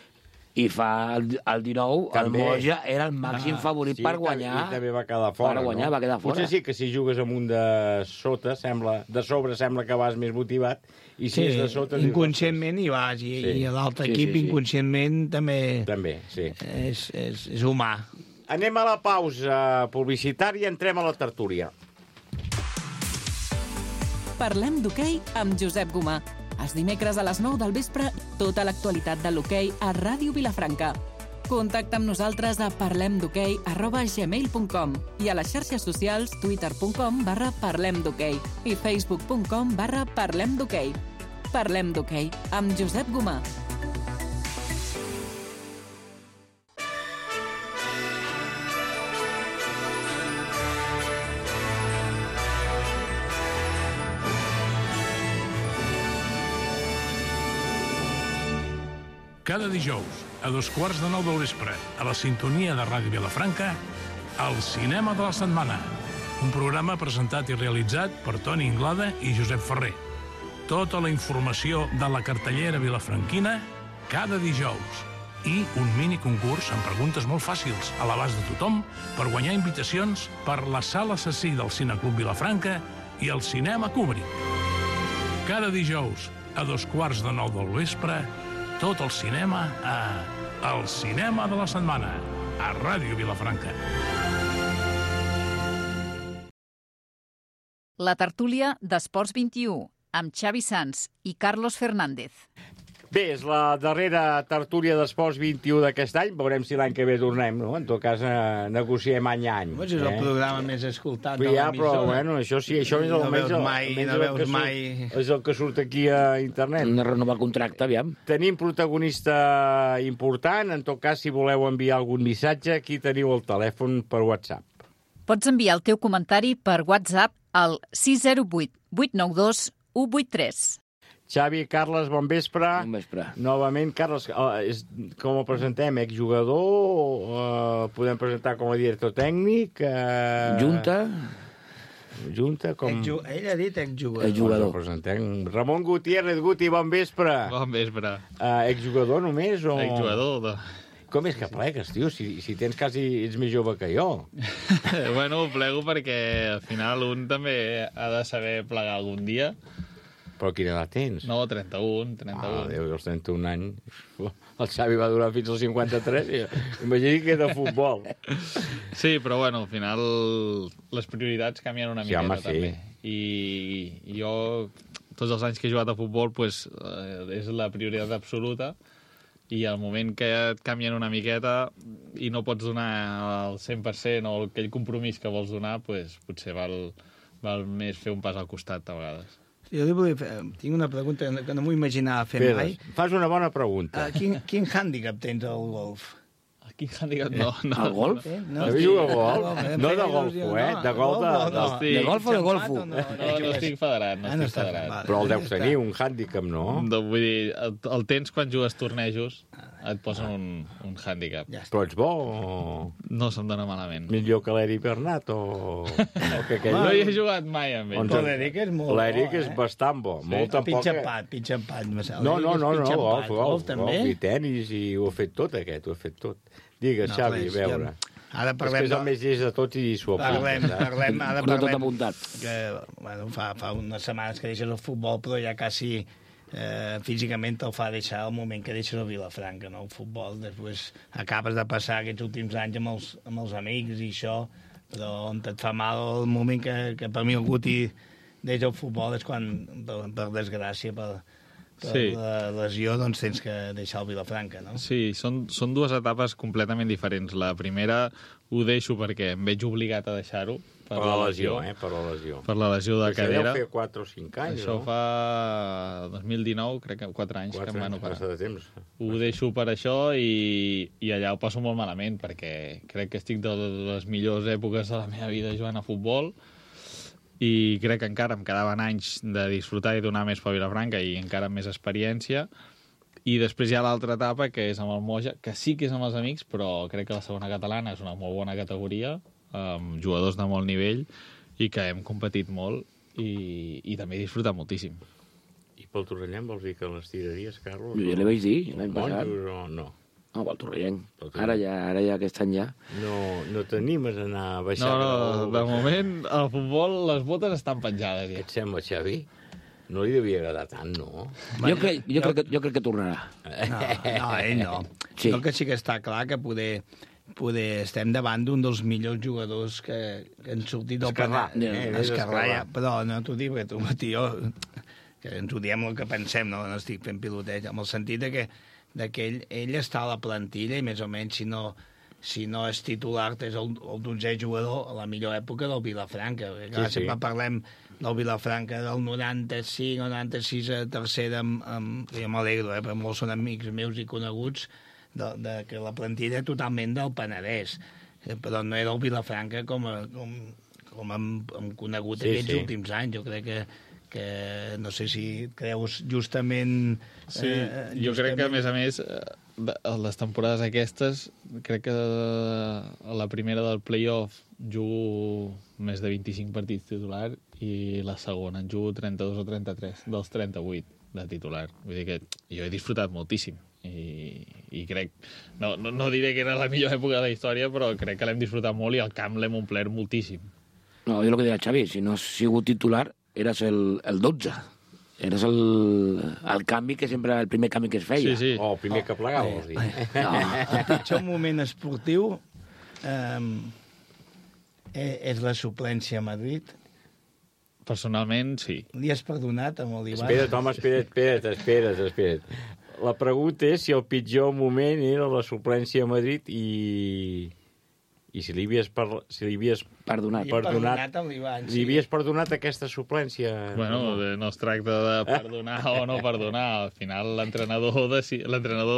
I fa el 19, el Moja era el màxim favorit per guanyar. I també va quedar fora. Va quedar fora. Potser sí que si jugues amb un de sota, de sobre sembla que vas més motivat, i si és de sota... Inconscientment hi vas, i l'altre equip inconscientment també... També, sí. És humà. Anem a la pausa publicitària i entrem a la tertúlia. Parlem d'hoquei amb Josep Gomà. Els dimecres a les 9 del vespre, tota l'actualitat de l'hoquei a Ràdio Vilafranca. Contacta amb nosaltres a parlemdhoquei@gmail.com i a les xarxes socials twitter.com/parlemdhoquei i facebook.com/parlemdhoquei. Parlem d'hoquei amb Josep Gomà. Cada dijous, a 8:15 del vespre, a la sintonia de Ràdio Vilafranca, el Cinema de la Setmana. Un programa presentat i realitzat per Toni Inglada i Josep Ferrer. Tota la informació de la cartellera vilafranquina, cada dijous, i un mini concurs amb preguntes molt fàcils a l'abast de tothom per guanyar invitacions per la Sala Assassí del Cineclub Vilafranca i el Cinema Kubrick. Cada dijous, a 8:45 del vespre, tot el cinema a El Cinema de la Setmana, a Ràdio Vilafranca. La tertúlia d'Esports 21, amb Xavi Sans i Carlos Fernández. Bé, és la darrera tertúlia d'Esports 21 d'aquest any. Veurem si l'any que ve tornem, no? En tot cas, negociem any a any. És el programa més escoltat de l'emissora. Però, bueno, això sí, això és el que surt aquí a internet. Hem de renovar contracte, aviam. Tenim protagonista important. En tot cas, si voleu enviar algun missatge, aquí teniu el telèfon per WhatsApp. Pots enviar el teu comentari per WhatsApp al 608 892 183. Xavi, Carles, bon vespre. Bon vespre. Novament, Carles, com el presentem? Exjugador? Podem presentar com a director tècnic? Junta, com... Ell ha dit exjugador. Exjugador. Ramon Gutiérrez, Guti, bon vespre. Bon vespre. Exjugador només o... Exjugador. Com és que plegues, tio? Si tens quasi... ets més jove que jo. Bueno, plego perquè al final un també ha de saber plegar algun dia. Però quina edat tens? No, 31. Déu, als 31 anys. El Xavi va durar fins als 53. Imagini que de futbol. Sí, però bueno, al final les prioritats canvien una miqueta, també. I jo, tots els anys que he jugat a futbol, pues, és la prioritat absoluta. I al moment que et canvien una miqueta i no pots donar el 100% o aquell compromís que vols donar, pues, potser val més fer un pas al costat a vegades. Jo tinc una pregunta que no m'ho imaginava fer mai. Fas una bona pregunta. Quin hàndicap tens al golf? Quin hàndicap? No. Al golf? També juga a golf? No de golfo, de golf de golf o de golfo? No estic federat, Però el deus tenir, un hàndicap, no? Vull dir, el tens quan jugues tornejos, et posen un hàndicap. Però ets bo o... No se'm dona malament. Millor que l'Eric Bernat o que aquell... No hi he jugat mai amb ell. L'Eric és molt bo. L'Eric és bastant bo. Pitja empat. No, golf també. I tenis, i ho ha fet tot aquest, ho ha fet tot. Digues, Xavi, a veure. Ara parlem... És el més llest de tots i s'ho apunta. Parlem... tot apuntat. Fa unes setmanes que deixes el futbol, però ja quasi... físicament te'l fa deixar el moment que deixes a Vilafranca, no? El futbol, després acabes de passar aquests últims anys amb els amics i això, però on et fa mal el moment que per mi el Guti deixa el futbol és quan, per desgràcia, per la lesió, doncs tens que deixar el Vilafranca, no? Sí, són dues etapes completament diferents. La primera ho deixo perquè em veig obligat a deixar-ho, per la lesió. Per la lesió de cadera. Això deu fer 4 o 5 anys, Això fa 2019, crec que 4 anys que em van operar. Ho deixo per això i allà ho passo molt malament, perquè crec que estic de les millors èpoques de la meva vida jugant a futbol i crec que encara em quedaven anys de disfrutar i donar més per Vilafranca i encara amb més experiència. I després hi ha l'altra etapa, que és amb el Moja, que sí que és amb els amics, però crec que la segona catalana és una molt bona categoria, amb jugadors de molt nivell i que hem competit molt i també he disfrutat moltíssim. I pel Torrellenc vols dir que les tiraries, Carlos? Jo ja li vaig dir l'any passat. No. No, pel Torrellenc. Ara ja aquest any ja. No t'animes a anar a baixar? No, de moment al futbol les botes estan penjades. Què et sembla, Xavi? No li devia agradar tant, no? Jo crec que tornarà. No, ell no. Sí. El que sí que està clar que poder estem davant d'un dels millors jugadors que han sortit del Escarrà. Però no t'ho dic, perquè tu, tio, que ens ho diem el que pensem, no estic fent piloteig, amb el sentit que ell està a la plantilla i més o menys si no és titular és el 12è jugador a la millor època del Vilafranca. Sempre parlem del Vilafranca del 95 o 96 a tercera, jo m'alegro, perquè molts són amics meus i coneguts, que la plantilla totalment del Penedès, però no era el Vilafranca com hem conegut aquests últims anys. Jo crec que no sé si creus justament... Jo crec que, a més, les temporades aquestes, crec que a la primera del play-off jugo més de 25 partits titular i la segona en jugo 32 o 33 dels 38. de titular. Vull dir que jo he disfrutat moltíssim i crec, no diré que era la millor època de la història, però crec que l'hem disfrutat molt i el camp l'hem omplert moltíssim. No, jo el que deia Xavi, si no has sigut titular, eres el 12. Eres el canvi que sempre, el primer canvi que es feia. Sí. O el primer que plegava, vols dir. El pitjor moment esportiu és la suplència a Madrid. Personalment, sí. Li has perdonat amb l'Ivan? Espera't, home, espera't. La pregunta és si el pitjor moment era la suplència a Madrid i si li havies perdonat amb l'Ivan, sí. Li havies perdonat aquesta suplència? Bueno, no es tracta de perdonar o no perdonar. Al final l'entrenador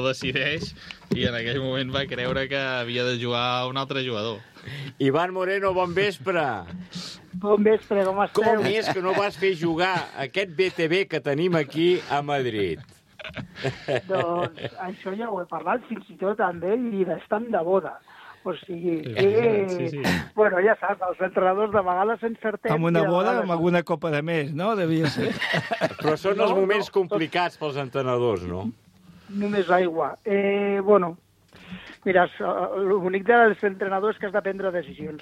decideix i en aquell moment va creure que havia de jugar un altre jugador. Ivan Moreno, bon vespre. Bon vespre, com esteu? Com és que no vas fer jugar aquest BTV que tenim aquí a Madrid? Doncs això ja ho he parlat fins i tot amb ell i d'estant de boda. O sigui, Sí. Bueno, ja saps, els entrenadors de vegades s'encertem... Amb una boda, amb alguna copa de més, no? Devia ser. Però són els moments complicats pels entrenadors, no? Només aigua. Bueno, mira, l'únic dels entrenadors és que has de prendre decisions.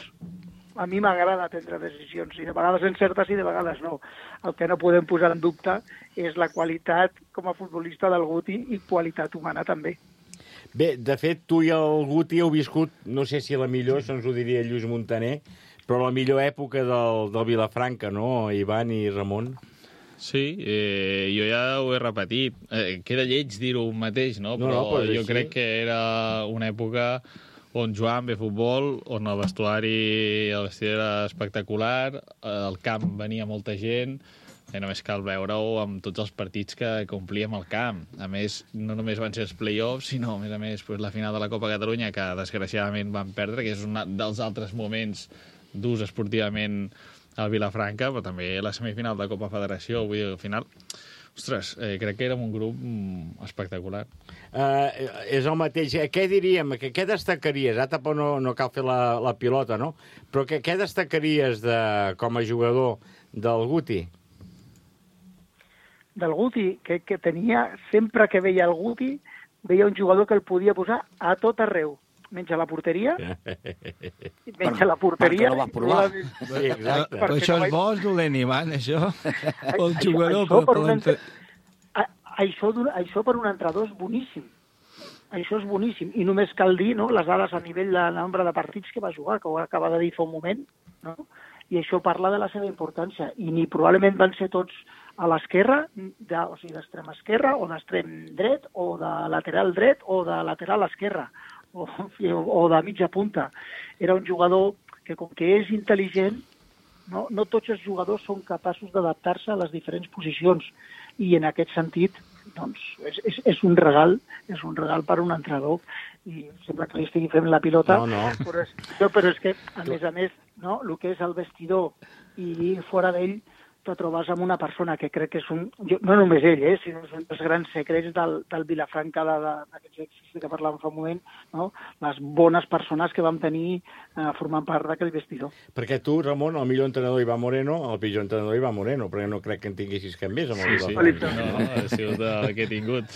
A mi m'agrada prendre decisions, i de vegades encertes i de vegades no. El que no podem posar en dubte és la qualitat com a futbolista del Guti i qualitat humana també. Bé, de fet, tu i el Guti heu viscut, no sé si la millor, això ens ho diria Lluís Montaner, però la millor època del Vilafranca, no, Ivan i Ramon? Sí, jo ja ho he repetit. Queda lleig dir-ho mateix, no? Però jo crec que era una època on jugàvem bé futbol, on el vestidor era espectacular, al camp venia molta gent, només cal veure-ho amb tots els partits que complíem al camp. A més, no només van ser els play-offs, sinó, a més, la final de la Copa Catalunya, que desgraciadament van perdre, que és un dels altres moments durs esportivament al Vilafranca, però també la semifinal de Copa Federació. Vull dir, al final, ostres, crec que érem un grup espectacular. És el mateix. Què diríem? Què destacaries? Ara tampoc no cal fer la pilota, no? Però què destacaries com a jugador del Guti? Del Guti, que tenia, sempre que veia el Guti, veia un jugador que el podia posar a tot arreu, menys a la porteria. Menys a la porteria. Perquè no vas provar. Sí, exacte. Però això és bo, és dolent, Ivan, això? El jugador... Això per un entrenador és boníssim. Això és boníssim. I només cal dir, no?, les dades a nivell de nombre de partits que va jugar, que ho acaba de dir fa un moment, no? I això parla de la seva importància. I ni probablement van ser tots a l'esquerra, o sigui, d'extrem esquerra, o d'extrem dret, o de lateral dret, o de lateral esquerra, o de mitja punta. Era un jugador que, com que és intel·ligent, no tots els jugadors són capaços d'adaptar-se a les diferents posicions. I en aquest sentit, doncs, és un regal per un entrenador. I sembla que li estigui fent la pilota. No. Però és que, a més, no, el que és el vestidor i fora d'ell, te trobes amb una persona que crec que és no només ell, sinó són els grans secrets del Vilafranca, d'aquests èxits que parlàvem fa un moment, no? Les bones persones que vam tenir formant part d'aquell vestidor. Perquè tu, Ramon, el millor entrenador Ivan Moreno, el pitjor entrenador Ivan Moreno, perquè no crec que en tinguessis cap més amb el Vilafranca. No, ha sigut el que he tingut.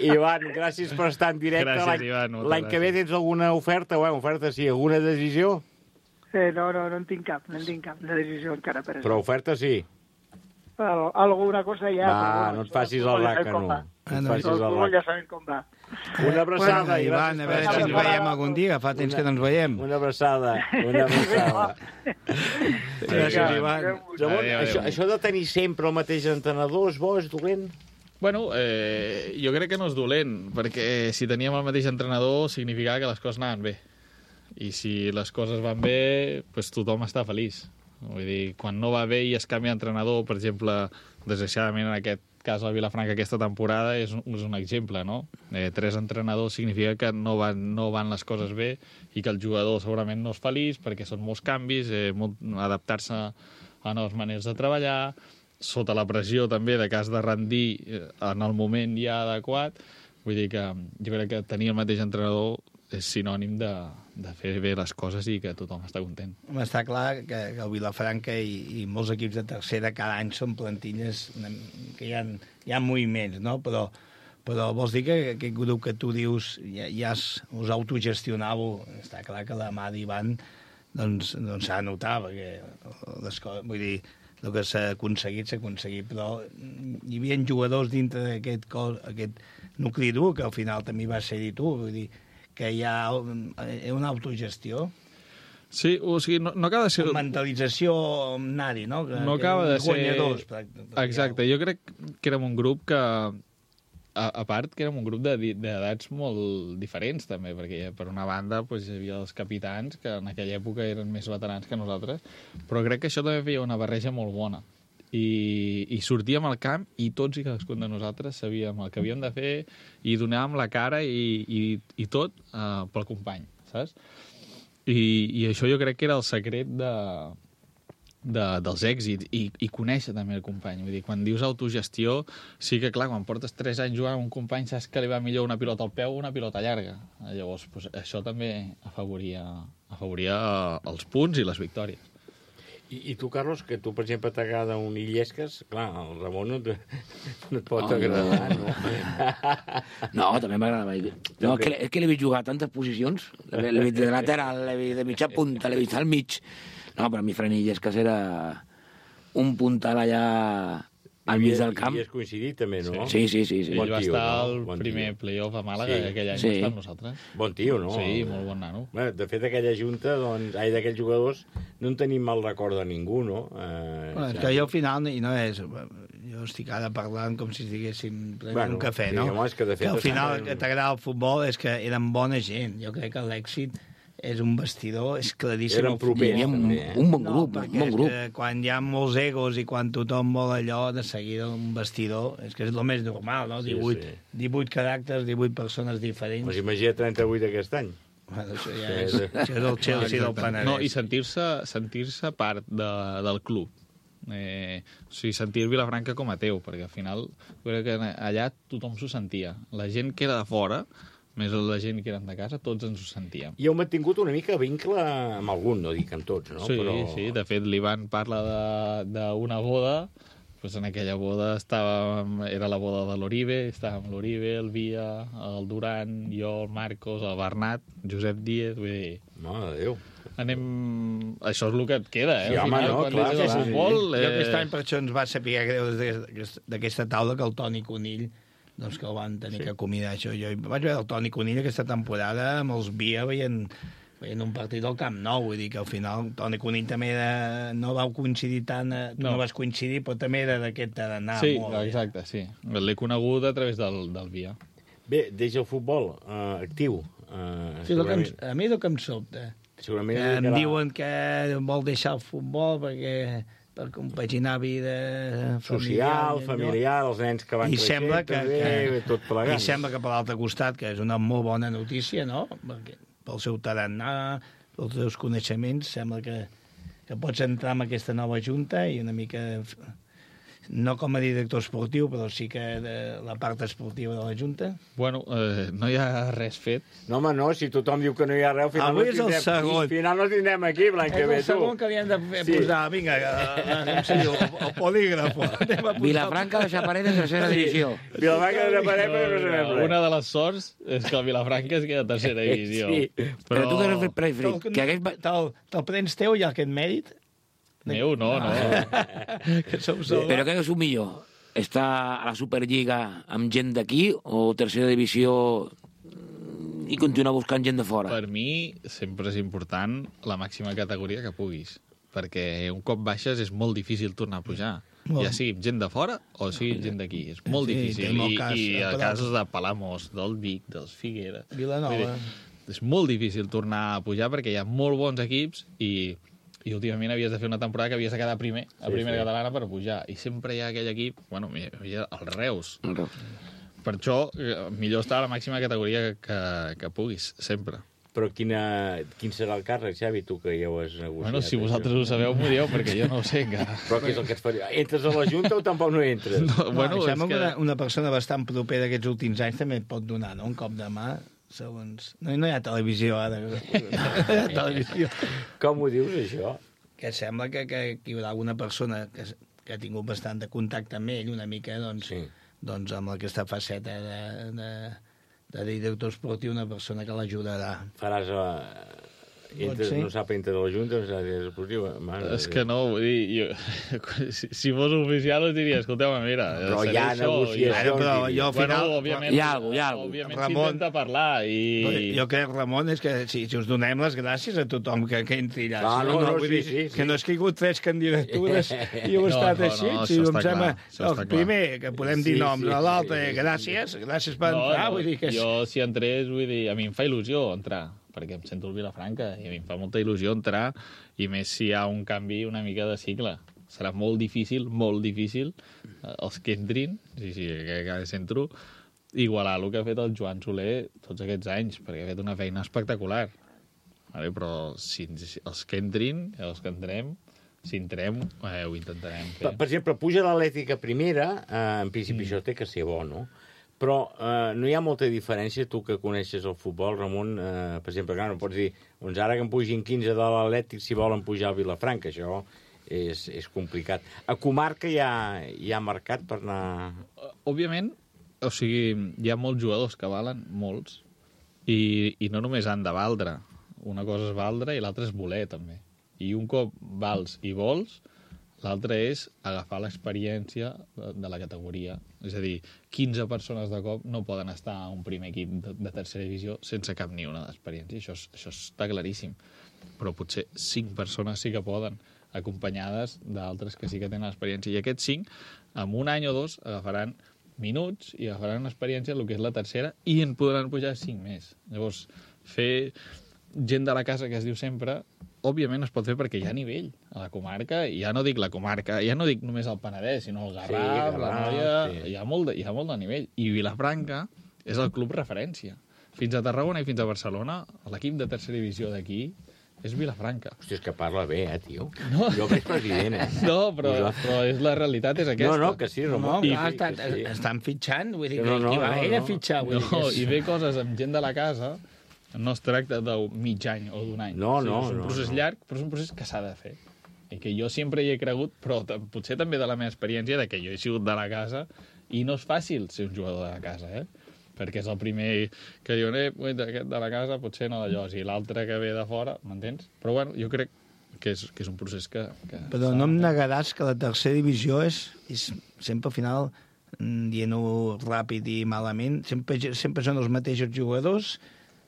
Ivan, gràcies per estar en directe. Gràcies, Ivan. L'any que ve tens alguna oferta? Oferta sí, alguna decisió? No en tinc cap de decisió encara. Però oferta sí? Alguna cosa ja... Va, no et facis el ràcano. Ja sabem com va. Una abraçada, Ivan, a veure si ens veiem algun dia, fa temps que no ens veiem. Una abraçada. Gràcies, Ivan. Això de tenir sempre el mateix entrenador és bo, és dolent? Bueno, jo crec que no és dolent, perquè si teníem el mateix entrenador significava que les coses anaven bé. I si les coses van bé, doncs tothom està feliç. Vull dir, quan no va bé i es canvia d'entrenador, per exemple, desgraciadament en aquest cas el Vilafranca aquesta temporada és un exemple, no? 3 entrenadors significa que no van les coses bé i que el jugador segurament no és feliç perquè són molts canvis, adaptar-se a noves maneres de treballar, sota la pressió també de que has de rendir en el moment ja adequat. Vull dir que jo crec que tenir el mateix entrenador sinònim de fer bé les coses i que tothom està content. Està clar que el Vilafranca i molts equips de tercera cada any són plantilles que hi ha moviments, no? Però vols dir que aquest grup que tu dius ja us autogestionàveu, està clar que la mà d'Ivan doncs s'ha de notar, perquè les coses, vull dir, el que s'ha aconseguit, però hi havia jugadors dintre d'aquest nucli dur, que al final també va ser-hi tu, vull dir, que hi ha una autogestió. Sí, o sigui, no acaba de ser... Una mentalització nadi, no? No acaba de ser... Guanyadors. Exacte, jo crec que érem un grup que... A part que érem un grup d'edats molt diferents, també, perquè per una banda hi havia els capitans, que en aquella època eren més veterans que nosaltres, però crec que això també feia una barreja molt bona. I sortíem al camp i tots i cadascun de nosaltres sabíem el que havíem de fer i donàvem la cara i tot pel company, saps? I això jo crec que era el secret dels èxits i conèixer també el company. Vull dir, quan dius autogestió, sí que clar, quan portes 3 anys jugant amb un company saps que li va millor una pilota al peu o una pilota llarga. Llavors, això també afavoria els punts i les victòries. I tu, Carlos, que tu, per exemple, t'agrada un Illescas, clar, el Ramon no et pot agradar, no? No, també m'agrada. No, és que l'he vist jugar a tantes posicions. L'he vist de lateral, l'he vist de mitja punta, l'he vist al mig. No, per mi Fran Illescas era un puntal allà al mig del camp. I has coincidit també, no? Sí. Ell va estar al primer playoff a Màlaga, aquell any va estar amb nosaltres. Bon tio, no? Sí, molt bon nano. Bé, de fet, aquella junta, d'aquells jugadors, no en tenim mal record de ningú, no? És que jo al final, i no és... Jo estic ara parlant com si estiguéssim prenent un cafè, no? Que al final que t'agrada el futbol és que eren bona gent. Jo crec que l'èxit és un vestidor, és claríssim. Eren propers, també. Un bon grup, un bon grup. Quan hi ha molts egos i quan tothom vol allò, de seguida un vestidor, és que és el més normal, no? 18 caràcters, 18 persones diferents. Pues imagina 38 aquest any. Bueno, això ja és el Chelsea del Penedès. No, i sentir-se part del club. O sigui, sentir Vilafranca com a teu, perquè al final crec que allà tothom s'ho sentia. La gent que era de fora, més la gent que eren de casa, tots ens ho sentíem. I heu mantingut una mica vincle amb algun, no dic amb tots, no? Sí, de fet l'Ivan parla d'una boda, doncs en aquella boda era la boda de l'Oribe, estàvem l'Oribe, el Via, el Duran, jo, el Marcos, el Bernat, Josep Díez, vull dir... Mare de Déu. Això és el que et queda, Sí, home, no, clar. Jo aquest any per això ens va saber greu d'aquesta taula que el Toni Conill doncs que el van tenir que acomiadar això. Jo vaig veure el Toni Conill aquesta temporada amb els Via veient un partit al Camp Nou, vull dir que al final Toni Conill també no vau coincidir tant, no vas coincidir, però també era d'aquest d'anar molt. Sí, exacte, sí. L'he conegut a través del Via. Bé, deixa el futbol actiu. Sí, a mi el que em sobta. Em diuen que vol deixar el futbol per compaginar vida familiar, els nens que van creixent també, tot plegat. I sembla que per l'altre costat, que és una molt bona notícia, no? Perquè pel seu tarannà, pels seus coneixements, sembla que pots entrar en aquesta nova junta i una mica... No com a director esportiu, però sí que de la part esportiva de la Junta. Bueno, no hi ha res fet. No, home, no, si tothom diu que no hi ha res, al final no tindrem aquí l'any que ve, tu. És el segon que havíem de posar, vinga, el polígrafo. Vilafranca de Xaparell de tercera divisió. Vilafranca de Xaparell, però no sabem res. Una de les sorts és que el Vilafranca es queda a tercera divisió. Sí, però tu que no preferit. Te'l prens teu i aquest mèrit? Meu, no. Però què és el millor? Estar a la Superliga amb gent d'aquí o tercera divisió i continuar buscant gent de fora? Per mi sempre és important la màxima categoria que puguis, perquè un cop baixes és molt difícil tornar a pujar. Ja sigui gent de fora o sigui gent d'aquí. És molt difícil. I el cas de Palamós, del Vic, dels Figueres... Vilanova. És molt difícil tornar a pujar perquè hi ha molt bons equips i últimament havies de fer una temporada que havies de quedar primer, a primera catalana per pujar. I sempre hi ha aquell equip, bueno, hi ha el Reus. Per això, millor estar a la màxima categoria que puguis, sempre. Però quin serà el càrrec, Xavi, tu que ja ho has negociat? Bueno, si vosaltres ho sabeu, m'ho dieu, perquè jo no ho sé encara. Però què és el que et faria? Entres a la Junta o tampoc no entres? Sembla que una persona bastant propera d'aquests últims anys també et pot donar, no?, un cop de mà. segons... No hi ha televisió, ara. No hi ha televisió. Com ho dius, això? Que sembla que hi haurà alguna persona que ha tingut bastant de contacte amb ell, una mica, doncs amb aquesta faceta de director esportiu, una persona que l'ajudarà. Faràs... No sap entre la Junta, no sap esportiu. És que no, vull dir, si fos oficial us diria, escolteu-me, mira... Però hi ha negociacions. Però jo al final... Hi ha alguna cosa. Òbviament s'intenta parlar i... Jo crec, Ramon, és que si us donem les gràcies a tothom que entri allà. No, que no és que hi ha hagut 3 candidatures i heu estat així. Si em sembla, el primer, que podem dir noms, l'altre, gràcies per entrar. Jo, si entrés, vull dir, a mi em fa il·lusió entrar, perquè em sento el Vilafranca i a mi em fa molta il·lusió entrar, i més si hi ha un canvi una mica de cicle. Serà molt difícil, els que entrin, que cada centro, igualar el que ha fet el Joan Soler tots aquests anys, perquè ha fet una feina espectacular. Vale? Però si els que entrin, els que entrem, si entrem, ho intentarem fer. Per exemple, puja l'Atlètica primera, en principi això té que ser bo, no? Però no hi ha molta diferència, tu que coneixes el futbol, Ramon, per exemple, clar, no pots dir, doncs ara que em pugin 15 de l'Atlètic si volen pujar a Vilafranca, això és complicat. A comarca hi ha mercat per anar... Òbviament, o sigui, hi ha molts jugadors que valen, molts, i no només han de valdre. Una cosa és valdre i l'altra és voler, també. I un cop vals i vols, l'altre és agafar l'experiència de la categoria. És a dir, 15 persones de cop no poden estar a un primer equip de tercera divisió sense cap ni una d'experiència. Això està claríssim. Però potser 5 persones sí que poden, acompanyades d'altres que sí que tenen experiència. I aquests 5, en un any o 2, agafaran minuts i agafaran experiència en el que és la tercera i en podran pujar 5 més. Llavors, fer gent de la casa, que es diu sempre, òbviament es pot fer perquè hi ha nivell a la comarca, i ja no dic la comarca, ja no dic només el Penedès, sinó el Garraf, la Noia... Sí. Hi ha molt de nivell. I Vilafranca és el club referència. Fins a Tarragona i fins a Barcelona, l'equip de tercera divisió d'aquí és Vilafranca. Hòstia, és que parla bé, tio. No. Jo veig president, No, però la realitat és aquesta. No, que sí, Ramon. Estan fitxant, vull dir, qui va a fitxar. I ve coses amb gent de la casa. No es tracta de mig any o d'un any. No. És un procés llarg, però és un procés que s'ha de fer. I que jo sempre hi he cregut, però potser també de la meva experiència, de que jo he sigut de la casa, i no és fàcil ser un jugador de la casa, perquè és el primer que diuen, aquest de la casa potser no d'allò, i l'altre que ve de fora, m'entens? Però bueno, jo crec que és un procés que però no em negaràs que la tercera divisió és sempre al final, dient-ho ràpid i malament, sempre són els mateixos jugadors,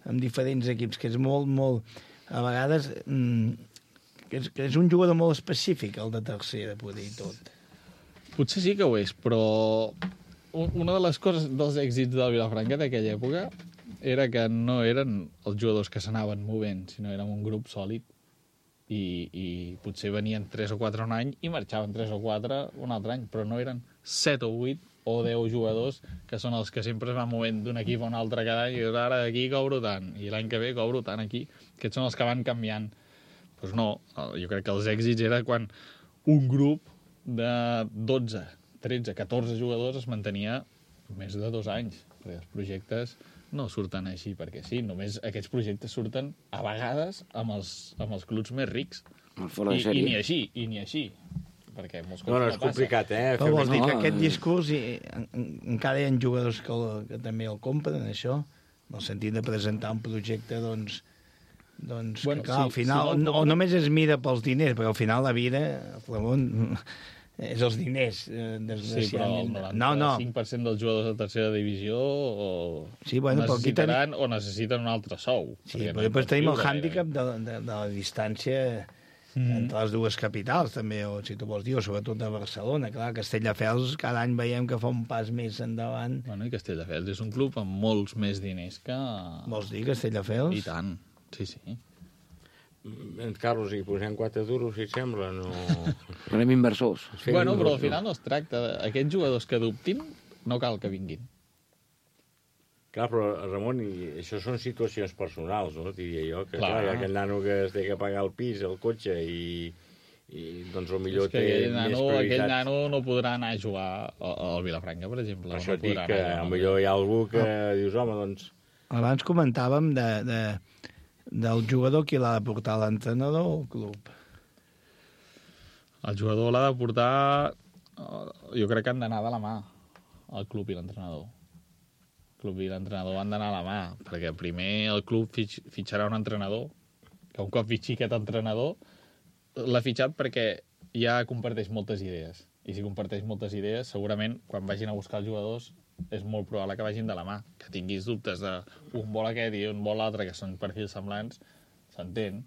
amb diferents equips, que és molt, a vegades, que és un jugador molt específic, el de tercera, poder dir tot. Potser sí que ho és, però una de les coses dels èxits del Vilafranca d'aquella època era que no eren els jugadors que s'anaven movent, sinó érem un grup sòlid, i potser venien 3 o 4 un any i marxaven 3 o 4 un altre any, però no eren 7 o 8 o 10 jugadors que són els que sempre es van movent d'un equip a un altre cada any, i ara aquí cobro tant, i l'any que ve cobro tant aquí. Aquests són els que van canviant. Doncs no, jo crec que els èxits era quan un grup de 12, 13, 14 jugadors es mantenia més de 2 anys, perquè els projectes no surten així perquè sí, només aquests projectes surten a vegades amb els clubs més rics. I ni així. Perquè molts cops no és complicat, Però vols dir que aquest discurs encara hi ha jugadors que també el compren, això? En el sentit de presentar un projecte, doncs que clar, al final, o només es mira pels diners, perquè al final la vida, Ramon, és els diners, desgraciadament. Sí, però el 95% dels jugadors de tercera divisió necessitaran o necessiten un altre sou. Sí, però després tenim el hàndicap de la distància entre les dues capitals, també, o si tu vols dir, o sobretot de Barcelona. Clar, Castelldefels cada any veiem que fa un pas més endavant. Bueno, i Castelldefels és un club amb molts més diners que... Vols dir Castelldefels? I tant, sí. Carlos, hi posem 4 duros, si et sembla, no... Anem inversors. Bueno, però al final no es tracta. Aquests jugadors que dubtin, no cal que vinguin. Clar, però, Ramon, això són situacions personals, no? Diria jo, que clar, aquell nano que es té que pagar el pis, el cotxe, i doncs potser té més prioritats. Aquell nano no podrà anar a jugar al Vilafranca, per exemple. Per això dic que potser hi ha algú que dius, home, doncs... Abans comentàvem del jugador qui l'ha de portar, l'entrenador o el club? El jugador l'ha de portar... Jo crec que han d'anar de la mà, el club i l'entrenador. El club i l'entrenador han d'anar a la mà, perquè primer el club fitxarà un entrenador, que un cop fitxi aquest entrenador, l'ha fitxat perquè ja comparteix moltes idees. I si comparteix moltes idees, segurament, quan vagin a buscar els jugadors, és molt probable que vagin de la mà. Que tinguis dubtes d'un vol aquest i un vol l'altre, que són perfils semblants, s'entén,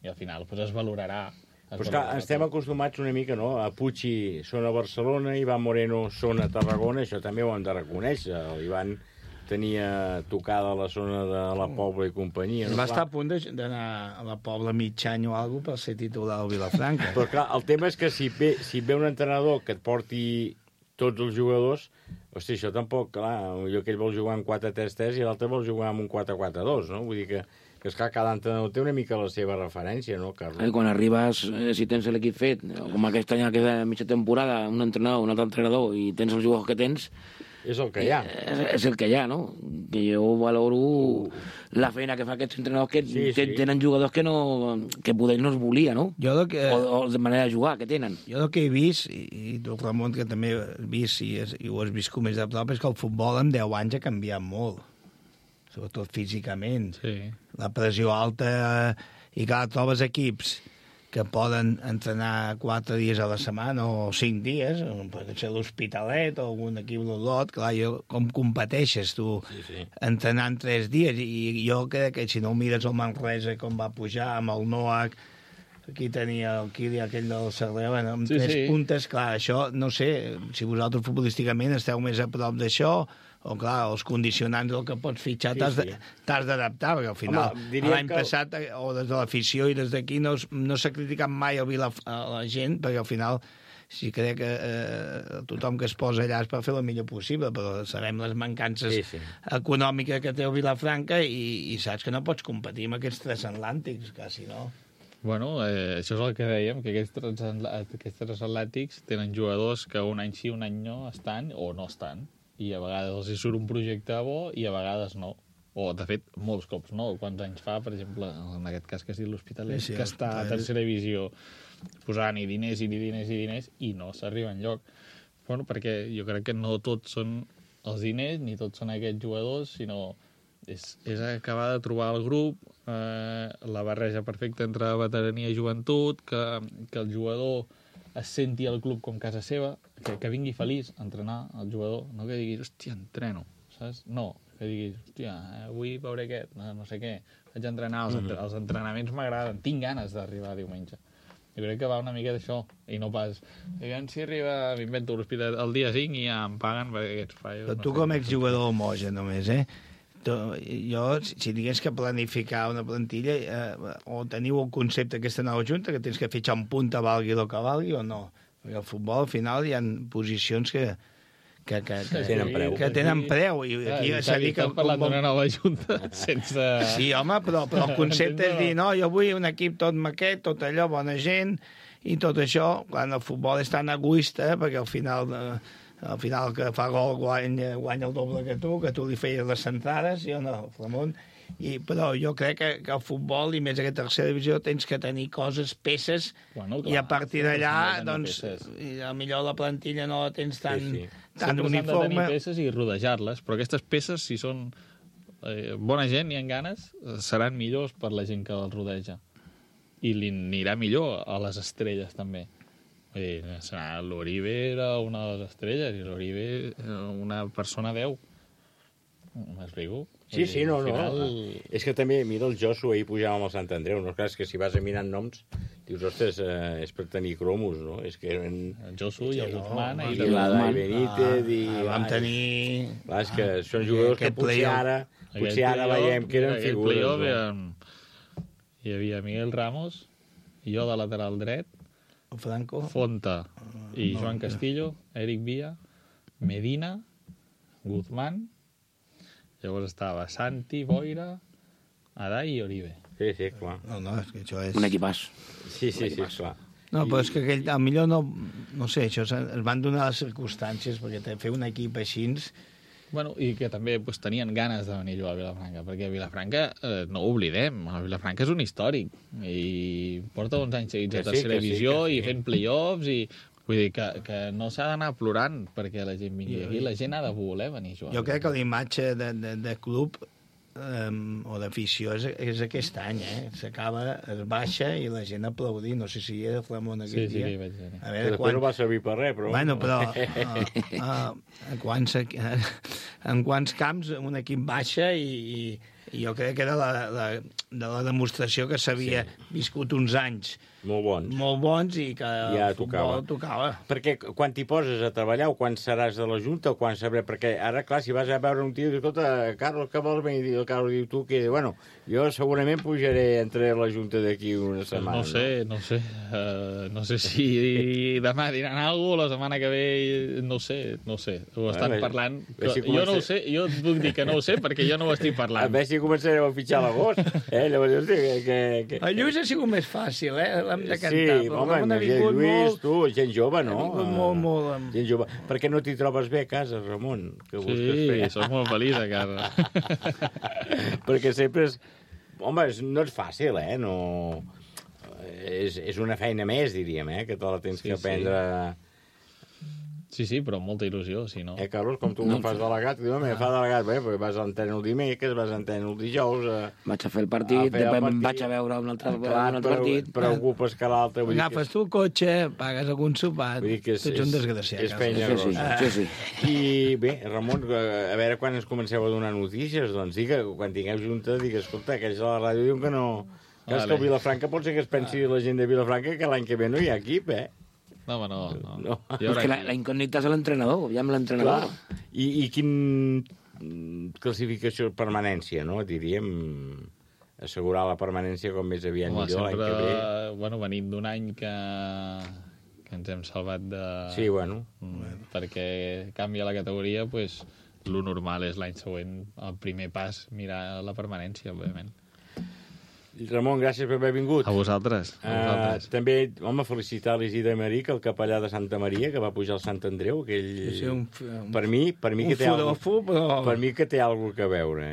i al final es valorarà. Però és que estem acostumats una mica, no? A Pucci són a Barcelona, Ivan Moreno són a Tarragona, això també ho hem de reconèixer. L'Ivan tenia tocada la zona de la Pobla i companyia. Va estar a punt d'anar a la Pobla mig any o alguna cosa per ser titular al Vilafranca. Però clar, el tema és que si ve un entrenador que et porti tots els jugadors, hosti, això tampoc, clar, jo que ell vol jugar amb 4-3-3 i l'altre vol jugar amb un 4-4-2, no? Vull dir que esclar, cada entrenador té una mica la seva referència, no, Carlos? Quan arribes, si tens l'equip fet, com aquest any, aquesta mitja temporada, un entrenador, un altre entrenador, i tens els jugadors que tens... És el que hi ha. És el que hi ha, no? Que jo valoro la feina que fa aquests entrenadors que tenen jugadors que poder no es volia, no? O de manera de jugar que tenen. Jo el que he vist, i tu, Ramon, que també has vist i ho has vist com més de prop, és que el futbol en 10 anys ha canviat molt, sobretot físicament. Sí. La pressió alta, i clar, trobes equips que poden entrenar 4 dies a la setmana o 5 dies, pot ser l'Hospitalet o algun equip d'Olot, clar, com competeixes tu entrenant 3 dies? I jo crec que si no mires el Manresa com va pujar amb el Noac, aquí tenia el Kili, aquell del Cervera, amb 3 puntes, clar, això, no sé, si vosaltres futbolísticament esteu més a prop d'això, o clar, els condicionants del que pots fitxar t'has d'adaptar, perquè al final l'any passat, o des de l'afició i des d'aquí, no s'ha criticat mai a la gent, perquè al final sí crec que tothom que es posa allà és per fer el millor possible, però sabem les mancances econòmiques que té el Vilafranca i saps que no pots competir amb aquests transatlàntics, quasi, no? Bueno, això és el que dèiem, que aquests transatlàntics tenen jugadors que un any sí, un any no estan o no estan. I a vegades els hi surt un projecte bo i a vegades no. O, de fet, molts cops no. Quants anys fa, per exemple, en aquest cas que es diu l'Hospitalet, que està a tercera divisió posant-hi diners i no s'arriba enlloc. Bueno, perquè jo crec que no tots són els diners ni tots són aquests jugadors, sinó és acabar de trobar el grup, la barreja perfecta entre veterania i joventut, que el jugador es senti al club com casa seva, que vingui feliç a entrenar el jugador, no que diguis, hòstia, entreno, saps? No, que diguis, hòstia, avui veuré aquest, no sé què, vaig a entrenar, els entrenaments m'agraden, tinc ganes d'arribar diumenge. Jo crec que va una mica d'això, i no pas, si arriba, m'invento l'hospital el dia 5 i ja em paguen perquè aquests fallos. Però tu com ets jugador homogen només, jo, si digués que planificar una plantilla, o teniu el concepte aquesta nova junta, que tens que fitxar un punta valgui el que valgui o no? Perquè al futbol, al final, hi ha posicions que tenen preu. I aquí s'ha dit que... parlant d'una nova junta sense... Sí, home, però el concepte és dir, no, jo vull un equip tot maquet, tot allò, bona gent, i tot això, quan el futbol és tan egoista, perquè al final que fa gol guanya el doble que tu li feies les centrades, jo no, Ramon. Però jo crec que el futbol, i més aquesta tercera divisió, tens que tenir peces, i a partir d'allà, doncs, potser la plantilla no la tens tan uniforme. Sempre s'han de tenir peces i rodejar-les, però aquestes peces, si són bona gent i en ganes, seran millors per la gent que els rodeja. I li anirà millor a les estrelles, també. L'Oribe era una de les estrelles i l'Oribe una persona 10. M'explico? Sí, no. És que també, mira, el Josu ahir pujava amb el Sant Andreu, no? Clar, és que si vas a mirar noms, dius, ostres, és per tenir cromos, no? És que eren... El Josu i el Guzmán i l'Adai Benítez i... Vam tenir... Clar, és que són jugadors que potser ara veiem que eren figures. Hi havia Miguel Ramos i jo de lateral dret, Franco, Fonta i Joan Castillo, Eric Villa, Medina, Guzmán, llavors estava Santi, Boira, Adai i Oribe. Sí, clar. No, és que això és... Un equipàs. Sí, clar. No, però és que a millor no sé, això es van donar les circumstàncies, perquè fer un equip així Bueno, i que també tenien ganes de venir a jugar a Vilafranca, perquè Vilafranca, no ho oblidem, Vilafranca és un històric, i porta uns anys seguits a tercera divisió i fent play-offs, i vull dir que no s'ha d'anar plorant perquè la gent vingui aquí, la gent ha de voler venir a jugar. Jo crec que la imatge de club o d'afició és aquest any, s'acaba, es baixa i la gent aplaudir, no sé si hi era Flamón aquell dia. Sí, vaig dir. Després no va servir per res, però... Bueno, però en quants camps un equip baixa i jo crec que era de la demostració que s'havia viscut uns anys molt bons i que ja el futbol tocava. Perquè quan t'hi poses a treballar, o quan seràs de la Junta, o quan sabré... Perquè ara, clar, si vas a veure un tio i dius, escolta, Carlos, què vols venir? I el Carlos diu, tu què? Bueno, jo segurament pujaré entre la Junta d'aquí una setmana. No sé. No sé si demà diran alguna cosa, la setmana que ve, no sé. Ho estan parlant. Jo no ho sé, jo et puc dir que no ho sé perquè jo no ho estic parlant. A veure si començarem a fitxar a l'agost. Llavors, hosti, El Lluís ha sigut més fàcil, l'hem de cantar. Sí, home, Lluís, tu, gent jove, no? Ha vingut molt. Gent jove. Per què no t'hi trobes bé a casa, Ramon? Sí, soc molt feliç a casa. Perquè sempre és... Home, no és fàcil, no... És una feina més, diríem, que te la tens que aprendre... Sí, però amb molta il·lusió, si no... Carlos, com tu no fas delegat, diu, fa delegat, perquè vas a l'antena el dimecres, vas a l'antena el dijous... Vaig a fer el partit, després vaig a veure un altre partit... Preocupes que l'altre... Agafes tu el cotxe, pagues algun sopat, tu ets un desgraciat. És feina grossa. Sí. I bé, Ramon, a veure quan ens comenceu a donar notícies, doncs digue, quan tingueu junta, digues, escolta, aquells de la ràdio diuen que no... Que és que el Vilafranca pot ser que es pensi la gent de Vilafranca que l'any que ve no hi ha equip, No, home, no. És que la incògnita és l'entrenador, ja amb l'entrenador. I quin classificació, permanència, no? Diríem, assegurar la permanència com més aviat millor l'any que ve. Bueno, venint d'un any que ens hem salvat de... Sí, bueno. Perquè canvia la categoria, doncs lo normal és l'any següent, el primer pas, mirar la permanència, òbviament. Ramon, gràcies per haver vingut. A vosaltres. També, home, felicitar l'Isidre Maric, el capellà de Santa Maria, que va pujar al Sant Andreu, aquell... Per mi que té alguna cosa a veure,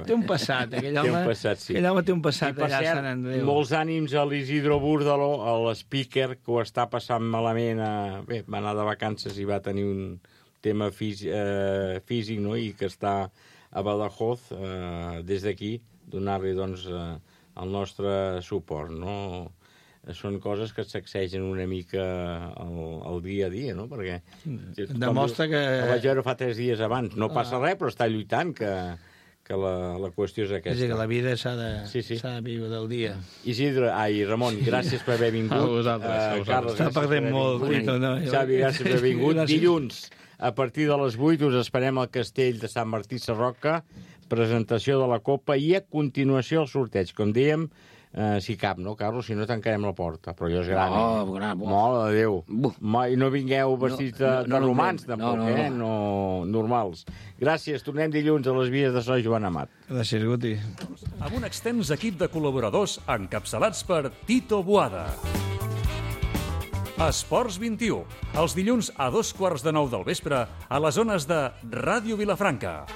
Té un passat, aquell home té un passat allà a Sant Andreu. Molts ànims a l'Isidro Búrdalo, a l'speaker, que ho està passant malament. Bé, va anar de vacances i va tenir un tema físic, no?, i que està a Badajoz, des d'aquí, donar-li, doncs, el nostre suport, no? Són coses que et sacsegen una mica el dia a dia, no? Perquè... Demostra que... El vaig veure fa 3 dies abans. No passa res, però està lluitant, que la qüestió és aquesta. És que la vida s'ha de viure del dia. Isidre, Ramon, gràcies per haver vingut. A vosaltres. Carles, està perdent molt. Xavi, gràcies per haver vingut. Dilluns, a partir de les 8, us esperem al Castell de Sant Martí Sarroca, presentació de la Copa i a continuació el sorteig. Com dèiem, si cap, no, Carlos? Si no, tancarem la porta. Però allò és gran, Mare de Déu. I no vingueu vestits de romans, tampoc, no normals. Gràcies. Tornem dilluns a les vies de So Joan Amat. Gràcies, Guti. Amb un extens equip de col·laboradors encapçalats per Tito Boada. Esports 21, els dilluns a 2:15 del vespre a les ones de Ràdio Vilafranca.